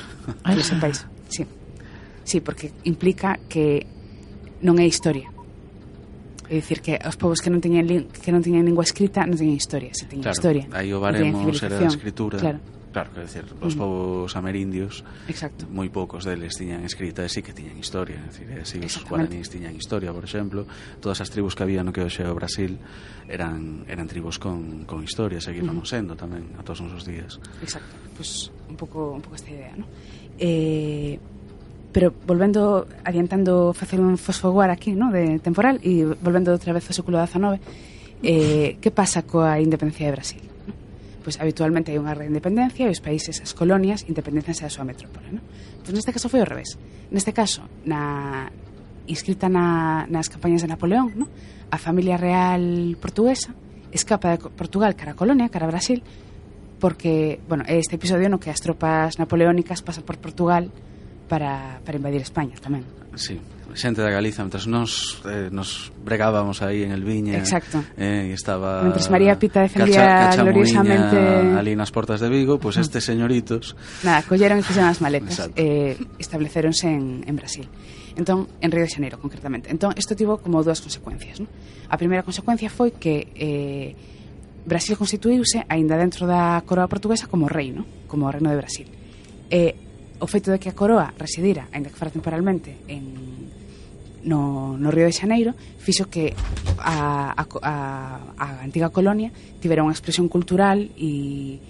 en ese país. Sí. Sí, porque implica que non é historia. É dicir que os povos que non teñen que non teñen lingua escrita non teñen historia, se teñen claro, historia. Aí o baremos era a escritura. Claro. Claro, quer decir, os mm. povos amerindios, exacto, moi poucos deles tiñan escrita e sí que tiñan historia, é dicir, así os guaraníes tiñan historia, por exemplo, todas as tribus que había no que hoxe é o Brasil eran eran tribus con, con historia, seguíamos mm. sendo tamén a todos os días. Exacto, pues un pouco un pouco esta idea, ¿no? Eh, pero volvendo, adiantando, facer un fosfoguar aquí, ¿no?, de temporal e volvendo outra vez ao século dezenove, eh, que pasa coa independencia de Brasil? Pois habitualmente hai unha reindependencia e os países, as colonias, independenzanse da súa metrópole, ¿no? Pois neste caso foi ao revés. Neste caso, na inscrita na, nas campañas de Napoleón, ¿no?, a familia real portuguesa escapa de Portugal cara a colonia, cara a Brasil, porque, bueno, este episodio no que as tropas napoleónicas pasan por Portugal para, para invadir España tamén. Sí, xente da Galiza, mentras nos, eh, nos bregábamos aí en el Viña. Exacto. Eh, e estaba... Mentras María Pita defendía cacha, gloriosamente... ali nas portas de Vigo, pois pues estes señoritos... Nada, colleron e fixeron as maletas. Exacto. Eh, estableceronse en, en Brasil. Entón, en Río de Xaneiro, concretamente. Entón, isto tivo como dúas consecuencias, ¿no? A primeira consecuencia foi que eh, Brasil constituíuse aínda dentro da coroa portuguesa como reino, como reino de Brasil. Eh, o feito de que a coroa residira, aínda que fora temporalmente, en No, no Río de Xaneiro, fixo que a, a, a, a antiga colonia tivera unha expresión cultural e,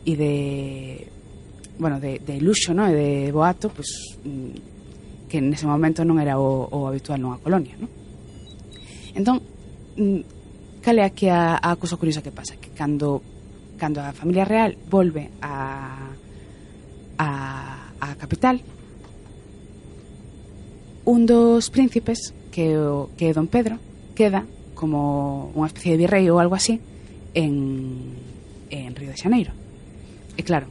e de bueno, de, de luxo, no? E de boato, pues, que nese momento non era o, o habitual nunha colonia, no? Entón, cal é aquí a, a cousa curiosa que pasa? Que cando, cando a familia real volve a a, a capital, un dos príncipes, que o, que é Don Pedro, queda como unha especie de virrei ou algo así en, en Río de Xaneiro. E claro,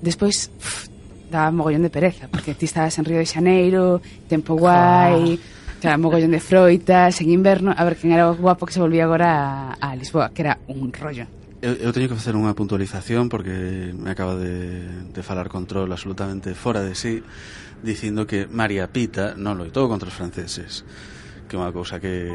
despois pff, daba mogollón de pereza, porque ti estabas en Río de Xaneiro, tempo guai, ah. mogollón de froitas, en inverno, a ver quen era o guapo que se volvía agora a, a Lisboa, que era un rollo. Eu, eu teño que facer unha puntualización porque me acaba de, de falar Control absolutamente fora de sí, dicindo que María Pita non loitou contra os franceses, que é unha cousa que,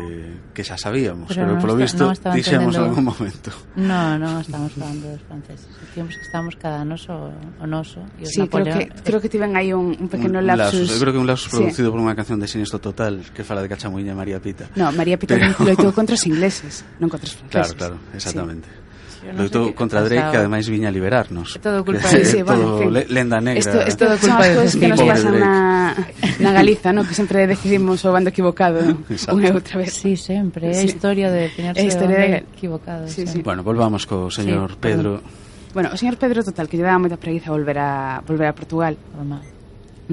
que xa sabíamos, pero, pero polo visto no dixemos en algún momento. No, non estamos falando dos franceses, dicimos que estamos cada noso o noso e os sí, Napoleón. creo que, creo que tiven aí un, un pequeno un lapsus. lapsus. Eu creo que un lapsus sí. producido por unha canción de Siniestro Total que fala de Cachamuiña e María Pita. No, María Pita pero... loitou contra os ingleses, non contra os franceses. Claro, claro, exactamente. Sí. No loitou contra Drake, que ademais viña a liberarnos. É todo culpa de sí, todo bueno, en fin. lenda negra. Esto, esto todo culpa de que nos pasan na, na Galiza, ¿no? Que sempre decidimos o bando equivocado unha e outra vez. Sí, sempre, é sí. historia de definirse é historia de... equivocado. Sí, sí. Bueno, volvamos co señor sí, Pedro. Perdón. Bueno, o señor Pedro, total, que lle daba moita preguiza volver a volver a Portugal. Normal.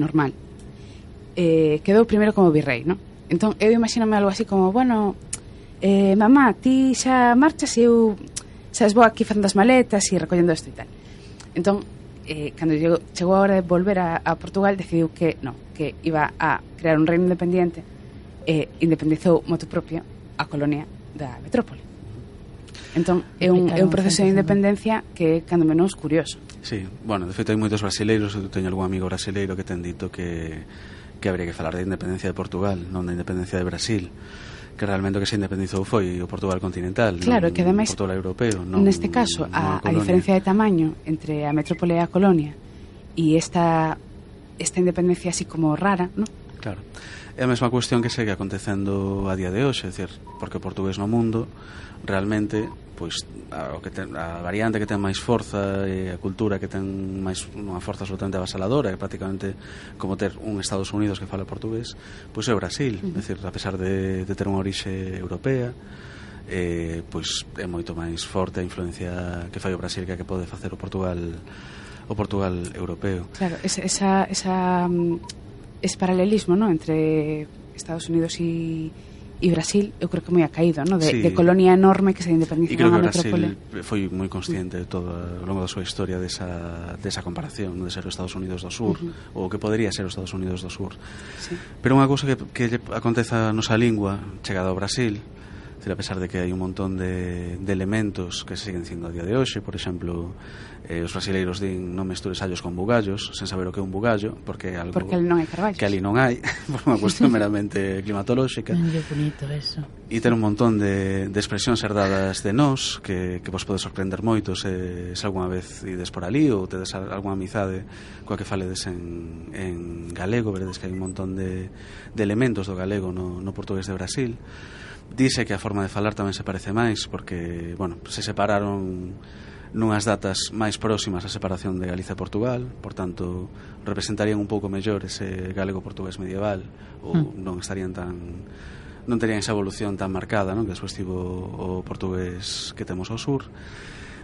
Normal. Eh, quedou primeiro como virrei, ¿no? Entón, eu imagíname algo así como, bueno, eh, mamá, ti xa marchas e eu... sabes, vou aquí facendo as maletas e recollendo isto e tal. Entón, eh, cando chegou, chegou a hora de volver a, a Portugal, decidiu que no, que iba a crear un reino independiente e independizou moto propio a colonia da metrópole. Entón, é un, é un proceso de independencia que é cando menos curioso. Sí, bueno, de feito hai moitos brasileiros, eu teño algún amigo brasileiro que ten dito que, que habría que falar de independencia de Portugal, non da independencia de Brasil, que realmente o que se independizou foi o Portugal continental, claro, non que ademais, Portugal europeo, non, neste caso, a, a diferencia de tamaño entre a metrópole e a colonia e esta esta independencia así como rara, ¿no? Claro. É a mesma cuestión que segue acontecendo a día de hoxe, é dicir, porque o portugués no mundo realmente, pois a, o que ten, a variante que ten máis forza e a cultura que ten máis unha forza absolutamente avasaladora, é prácticamente como ter un Estados Unidos que fala portugués, pois é o Brasil, uh -huh. é dicir, a pesar de, de ter unha orixe europea, eh, pois é moito máis forte a influencia que fai o Brasil que a que pode facer o Portugal o Portugal europeo. Claro, esa, esa, esa ese paralelismo, ¿no? Entre Estados Unidos e e Brasil, eu creo que moi acaído, ¿no? De, sí. de colonia enorme que se independiza na metrópole. E creo que Brasil foi moi consciente de todo ao longo da súa historia desa, desa comparación, ¿no? De ser os Estados Unidos do Sur, uh -huh. ou que podería ser os Estados Unidos do Sur. Sí. Pero unha cousa que, que aconteza a nosa lingua chegada ao Brasil, a pesar de que hai un montón de, de elementos que se siguen dicindo a día de hoxe, por exemplo, eh, os brasileiros din non mestures allos con bugallos, sen saber o que é un bugallo, porque é algo porque ali non hai carballos, que ali non hai, por unha cuestión meramente climatolóxica. Non é bonito eso. E ter un montón de, de expresións herdadas de nós que, que vos pode sorprender moito se, se alguna vez ides por ali ou tedes alguna amizade coa que faledes en, en galego, veredes que hai un montón de, de elementos do galego no, no portugués de Brasil. Dice que a forma de falar tamén se parece máis porque, bueno, se separaron nunhas datas máis próximas a separación de Galicia e Portugal, por tanto representarían un pouco mellor ese galego-portugués medieval ou mm. non estarían tan non terían esa evolución tan marcada, non? Que despois tivo o portugués que temos ao sur.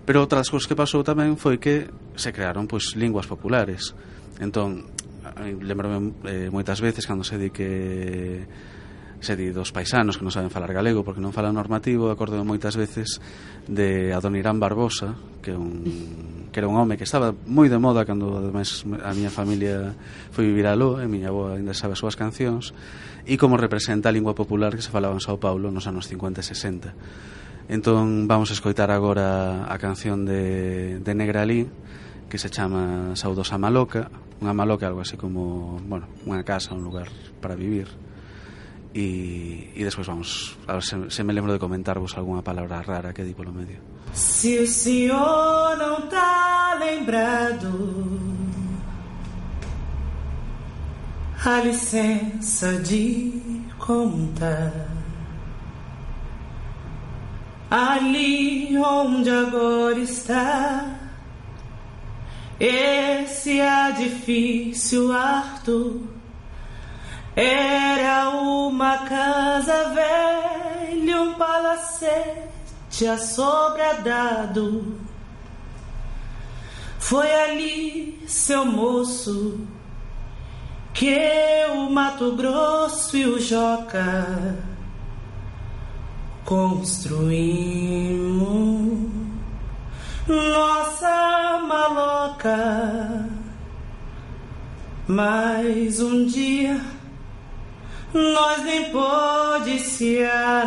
Pero outra das cousas que pasou tamén foi que se crearon pois linguas populares. Entón, lembrome eh, moitas veces cando se di que se di dos paisanos que non saben falar galego porque non falan normativo. Acordo moitas veces de Adonirán Barbosa, que é un que era un home que estaba moi de moda cando ademais a miña familia foi vivir aló, e a miña avó ainda sabe as súas cancións, e como representa a lingua popular que se falaba en Sao Paulo nos anos cincuenta e sesenta. Entón vamos a escoitar agora a canción de, de Negralí, que se chama Saudosa Maloca. Unha maloca algo así como, bueno, unha casa, un lugar para vivir. E, e despois vamos a ver se, se me lembro de comentarvos algunha palabra rara que di polo medio. Se o senhor não tá lembrado, a licença de contar, ali onde agora está esse edifício Arthur, era uma casa velha, um palacete assobradado. Foi ali, seu moço, que o Mato Grosso e o Joca construímos nossa maloca. Mas um dia nós nem pôde se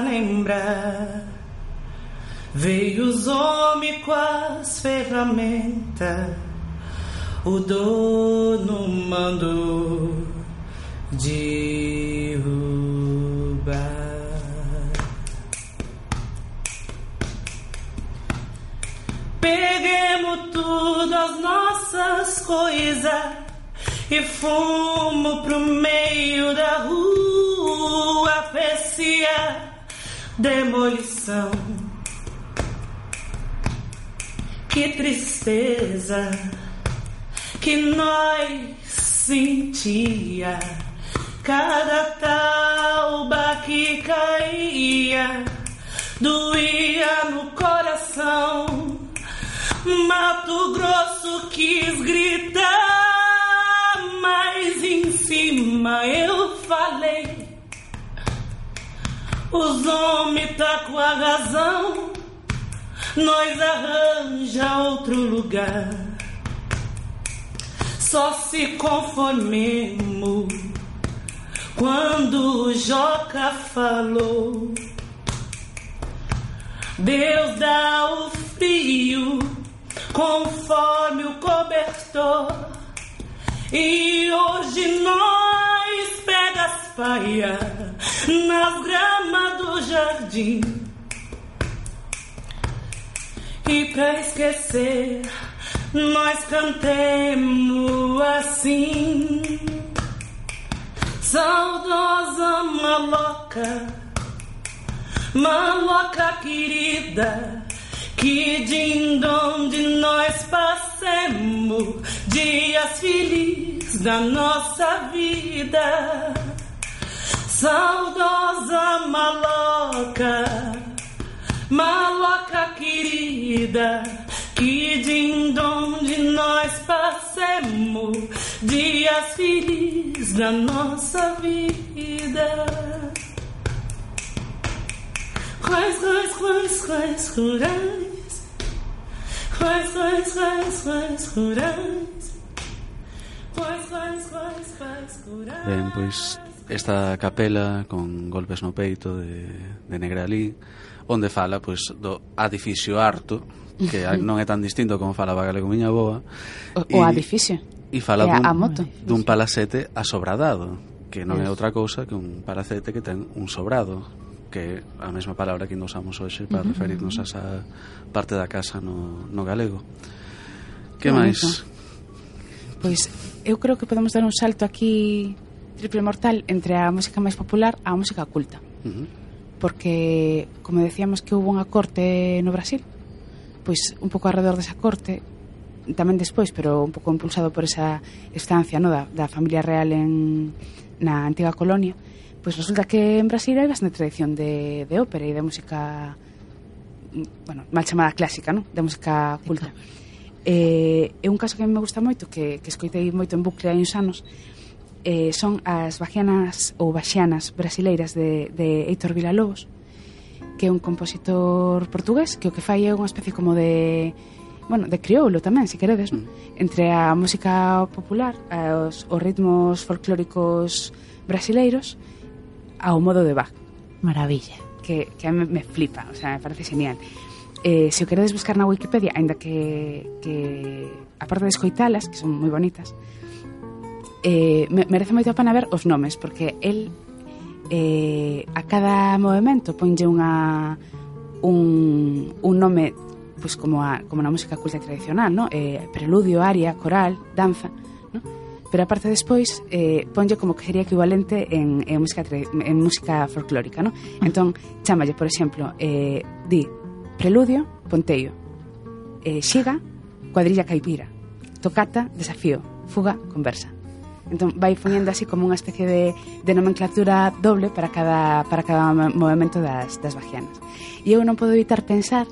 lembrar. Veio os homens com as ferramentas, o dono mandou derrubar. Peguemos tudo as nossas coisas e fomos pro meio da rua, parecia demolição. Que tristeza que nós sentia, cada tauba que caía doía no coração. Mato Grosso quis gritar, mas em cima eu falei: os homens tá com a razão, nós arranja outro lugar. Só se conformemos quando o Joca falou: Deus dá o frio conforme o cobertor, e hoje nós pega as paias nas gramas do jardim. E pra esquecer nós cantemos assim: saudosa maloca, maloca querida, que de onde nós passemos dias felizes da nossa vida. Saudosa maloca, maloca querida, que de onde nós passemos dias felizes da nossa vida. Quais, quais, quais, quais, rurais, quais, quais, quais, quais, rurais, quais, quais, quais, quais, rurais. Ben, pois esta capela con golpes no peito de, de Negralí, onde fala pois do edificio harto, que non é tan distinto como falaba galego miña boa, o, o edificio e fala dun, a moto. dun palacete asobradado, que non é Eso. outra cousa que un palacete que ten un sobrado, que é a mesma palabra que nos usamos hoxe para uh-huh. referirnos a esa parte da casa no, no galego. Que máis? Pois eu creo que podemos dar un salto aquí triple mortal entre a música máis popular a música culta. Uh-huh. Porque, como decíamos que hubo unha corte no Brasil, pois un pouco alrededor desa corte, tamén despois, pero un pouco impulsado por esa estancia, no, da, da familia real en, na antiga colonia, pois resulta que en Brasil hai bastante tradición de, de ópera e de música, bueno, mal chamada clásica, no? De música culta. É eh, un caso que a mí me gusta moito, que, que escoitei moito en bucle hai uns anos, eh, son as baxianas ou baxianas brasileiras de, de Heitor Villa-Lobos, que é un compositor portugués que o que fai é unha especie como de, bueno, de crioulo tamén, se queredes, ¿no? Entre a música popular, os, os ritmos folclóricos brasileiros ao modo de Bach. Maravilla. Que, que a mí me flipa, o sea, me parece genial. Eh, se o queredes buscar na Wikipedia, aínda que, que aparte de escoitalas, que son moi bonitas, eh, me, merece moito a pena ver os nomes, porque el eh, a cada movimento ponlle unha un, un nome pues como a, como na música culta tradicional, ¿no? Eh, preludio, aria, coral, danza, ¿no? Pero aparte despois eh, ponlle como que sería equivalente en, en, música, en música folclórica, ¿no? Entón, chámalle, por exemplo, eh, di preludio, ponteio, eh, xiga, cuadrilla caipira, tocata, desafío, fuga, conversa. Entón vai poñendo así como unha especie de, de nomenclatura doble para cada, para cada movimento das, das baxianas. E eu non podo evitar pensar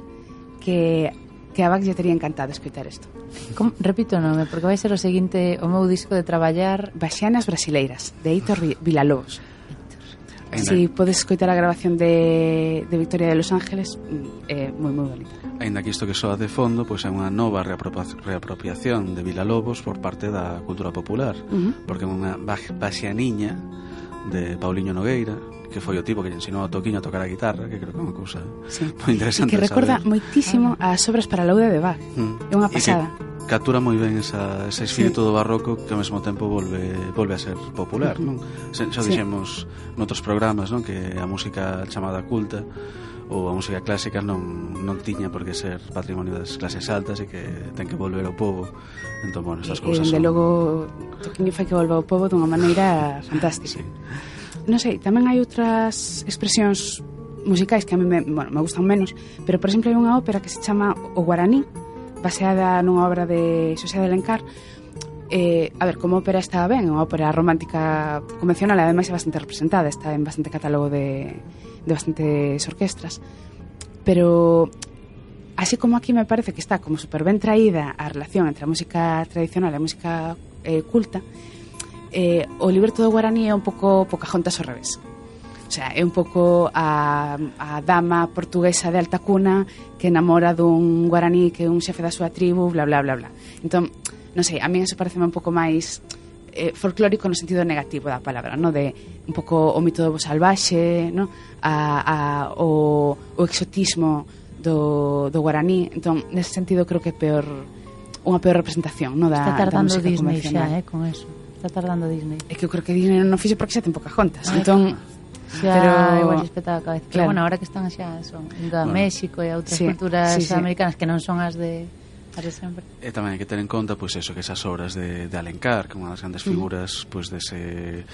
que, que a Bach lle tería encantado escoitar isto. Como, repito o nome, porque vai ser o seguinte o meu disco de traballar. Baxianas brasileiras, de Heitor Villa-Lobos. Si podes escoitar a grabación de, de Victoria de Los Ángeles, é moi moi bonita. Ainda que isto que soa de fondo, pois é unha nova reapropiación de Villa-Lobos por parte da cultura popular, uh-huh. porque é unha baxianiña de Pauliño Nogueira, que foi o tipo que lle ensinou a Toquiño a tocar a guitarra, que creo que é unha cousa sí. moi interesante. E que recorda saber. moitísimo as obras para laude de Bach. Mm. É unha pasada. Captura moi ben esa, ese espírito sí. do barroco que ao mesmo tempo volve volve a ser popular, non? Xa sí. dixemos noutros programas, non, que a música chamada culta ou a música clásica non, non tiña por que ser patrimonio das clases altas e que ten que volver ao povo. Entón, bueno, estas cousas son... E, de logo, Toquiño fai que volva ao povo dunha maneira fantástica. Sí. Non sei, tamén hai outras expresións musicais que a mí me, bueno, me gustan menos, pero, por exemplo, hai unha ópera que se chama O Guaraní, baseada nunha obra de Xosé de Alencar. Eh, a ver, como ópera está ben, é unha ópera romántica convencional, ademais é bastante representada, está en bastante catálogo de, de bastantes orquestras, pero así como aquí me parece que está como super ben traída a relación entre a música tradicional e a música eh, culta, eh, o libreto do Guaraní é un pouco Pocahontas ao revés. O sea, é un pouco a, a dama portuguesa de alta cuna que enamora dun guaraní que é un xefe da súa tribu, bla, bla, bla, bla. Entón, non sei, a mí eso parece un pouco máis eh, folclórico no sentido negativo da palabra, no? De un pouco o mito do bo salvaxe, no? a, a, o, o exotismo do, do guaraní. Entón, nese sentido, creo que é peor, unha peor representación, no? Da, está tardando da música Disney convencional. xa, eh, con eso. Está tardando Disney. É que eu creo que Disney non fixo porque xa ten Pocahontas. Ay, entón... Xa, pero igual espeta a cabeza. Claro. Pero bueno, ahora que están xa son a bueno, México e a outras sí, culturas sí, sí. americanas que non son as de as de sempre. E tamén hai que ter en conta pois pues, eso, que esas obras de, de Alencar, que é unha das grandes figuras mm. pois pues, dese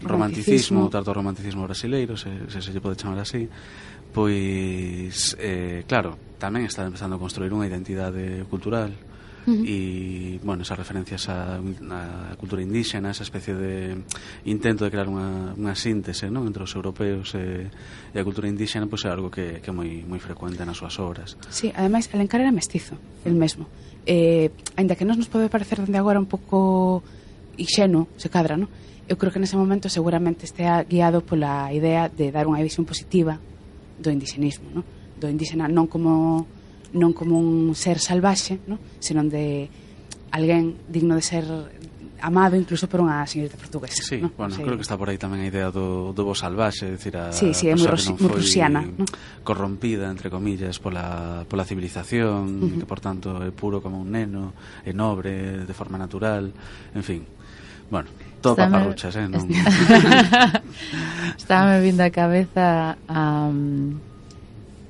romanticismo, tardo romanticismo brasileiro, se, se se lle pode chamar así, pois eh, claro, tamén está empezando a construir unha identidade cultural. E, uh-huh. bueno, esas referencias a, a cultura indígena, esa especie de intento de crear unha, unha síntese, ¿no? entre os europeos e, e a cultura indígena, pois pues, é algo que, que é moi, moi frecuente nas súas obras. Sí, ademais, Alencar era mestizo, el mesmo. Eh, ainda que non nos pode parecer dende agora un pouco inxenuo, se cadra, ¿no? Eu creo que nese momento seguramente estea guiado pola idea de dar unha visión positiva do indigenismo, ¿no? Do indígena non como... non como un ser salvaxe, ¿no? Senón de alguén digno de ser amado incluso por unha señorita portuguesa. Sí, ¿no? bueno, sí. creo que está por aí tamén a idea do, do bo salvaxe, decir, a sí, sí, é moi, ros, moi rusiana, ¿no? corrompida, entre comillas, pola, pola civilización, uh-huh. que por tanto é puro como un neno, é nobre, de forma natural, en fin. Bueno, todo paparruchas, eh? Non... Estaba me vindo a cabeza a... Um...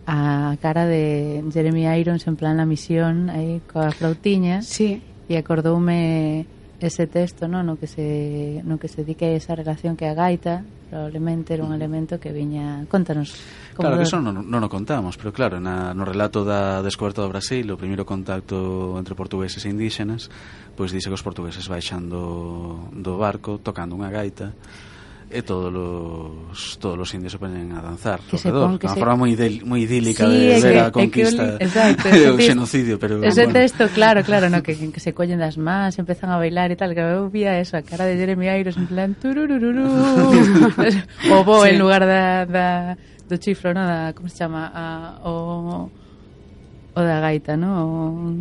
a cara de Jeremy Irons en plan La Misión aí coa flautiña sí. e acordoume ese texto, no, no que se no que se dique esa relación que a gaita probablemente era un elemento que viña, contanos como claro que eso non, non o contamos, pero claro na, no relato da descoberta do Brasil, o primeiro contacto entre portugueses e indígenas, pois dice que os portugueses baixando do barco tocando unha gaita e todos os todos os indios se poñen a danzar que alrededor, de unha se... forma moi, del, moi idílica sí, de ver que, a conquista que, exacto, e o xenocidio, pero ese bueno. texto, claro, claro, no, que, que se collen das mans, empezan a bailar e tal, que eu vía eso, a cara de Jeremy Irons en plan tururururu o bo sí. En lugar da, da do chifro, no, da, como se chama, a, o o da gaita, no, o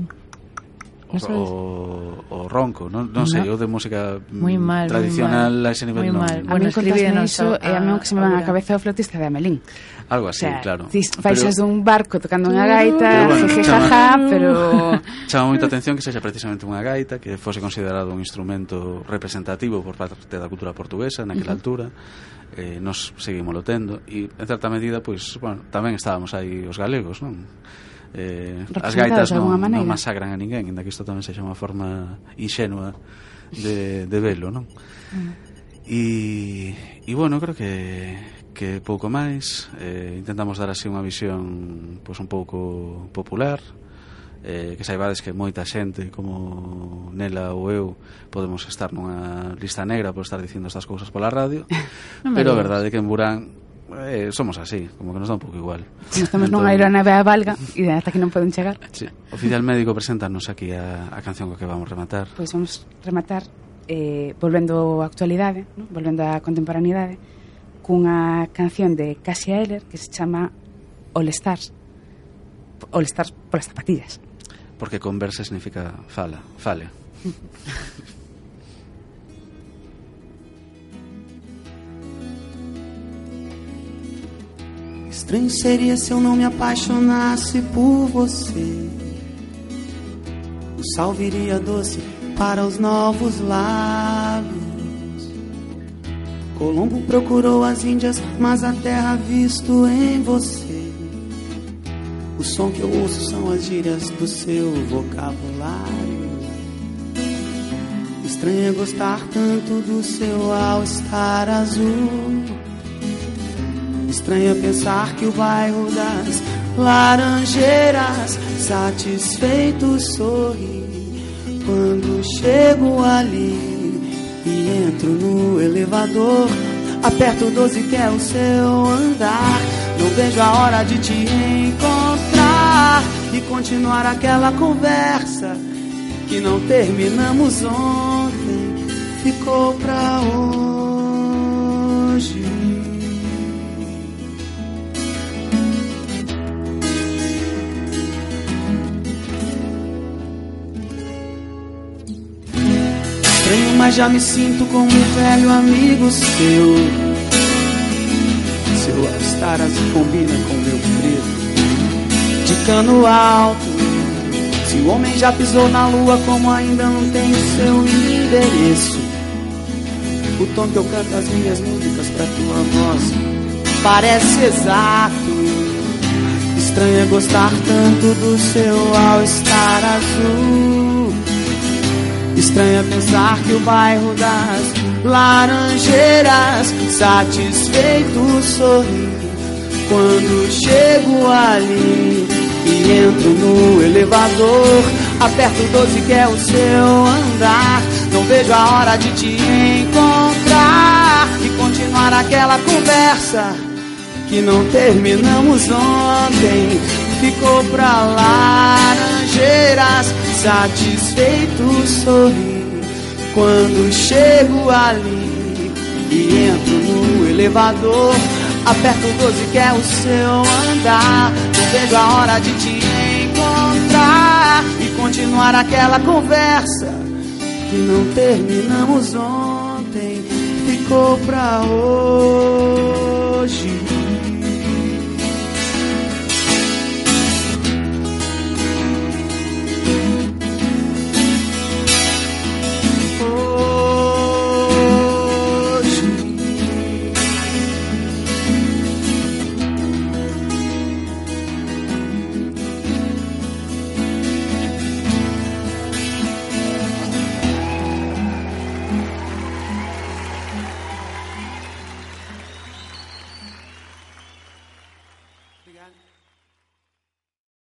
O, o, o ronco, non, non sei, no. O de música mal, tradicional a ese nivel non. A mí contasme iso e a mí o que se me van a cabeza o flautista de Amelín. Algo así, o sea, claro. Faixas pero... dun barco tocando unha gaita, bueno, jejejaja, pero... Chama moita atención que sexa precisamente unha gaita, que fose considerado un instrumento representativo por parte da cultura portuguesa naquela uh-huh. altura. Eh, nos seguimos lo tendo e en certa medida, pois, bueno, tamén estábamos aí os galegos, non? Eh, as gaitas non, non masacran a ninguén, ainda que isto tamén sexa unha forma inxenua de, de velo, non? E, e bueno, creo que que pouco máis eh, intentamos dar así unha visión pois un pouco popular, eh, que saibades que moita xente como Nela ou eu podemos estar nunha lista negra por estar dicindo estas cousas pola radio no pero a verdade é que en Burán Eh, somos así, como que nos dá un pouco igual. Nos estamos nunha aeronave a valga e ata que non poden chegar. Sí. Oficial Médico, preséntanos aquí a, a canción co que vamos rematar. Pois vamos rematar eh, volvendo á actualidade, ¿no? Volvendo á contemporaneidade cunha canción de Cássia Eller que se chama All Stars. All Stars polas zapatillas. Porque conversa significa fala, fale. Estranho seria se eu não me apaixonasse por você. O sal viria doce para os novos lábios. Colombo procurou as Índias, mas a terra visto em você. O som que eu ouço são as gírias do seu vocabulário. Estranho é gostar tanto do seu all-star azul. Estranho é pensar que o bairro das Laranjeiras satisfeito sorri quando chego ali e entro no elevador. Aperto doze que é o seu andar. Não vejo a hora de te encontrar e continuar aquela conversa que não terminamos ontem. Ficou pra hoje. Mas já me sinto como um velho amigo seu. Seu all-star azul combina com meu preto de cano alto. Se o homem já pisou na lua, como ainda não tem o seu endereço. O tom que eu canto as minhas músicas pra tua voz parece exato. Estranho é gostar tanto do seu all-star azul. Estranho é pensar que o bairro das Laranjeiras satisfeito sorri quando chego ali e entro no elevador. Aperto doze que é o seu andar. Não vejo a hora de te encontrar e continuar aquela conversa que não terminamos ontem. Ficou pra Laranjeiras satisfeito sorri quando chego ali e entro no elevador. Aperto doze que é o seu andar. Não vejo a hora de te encontrar e continuar aquela conversa que não terminamos ontem. Ficou pra hoje.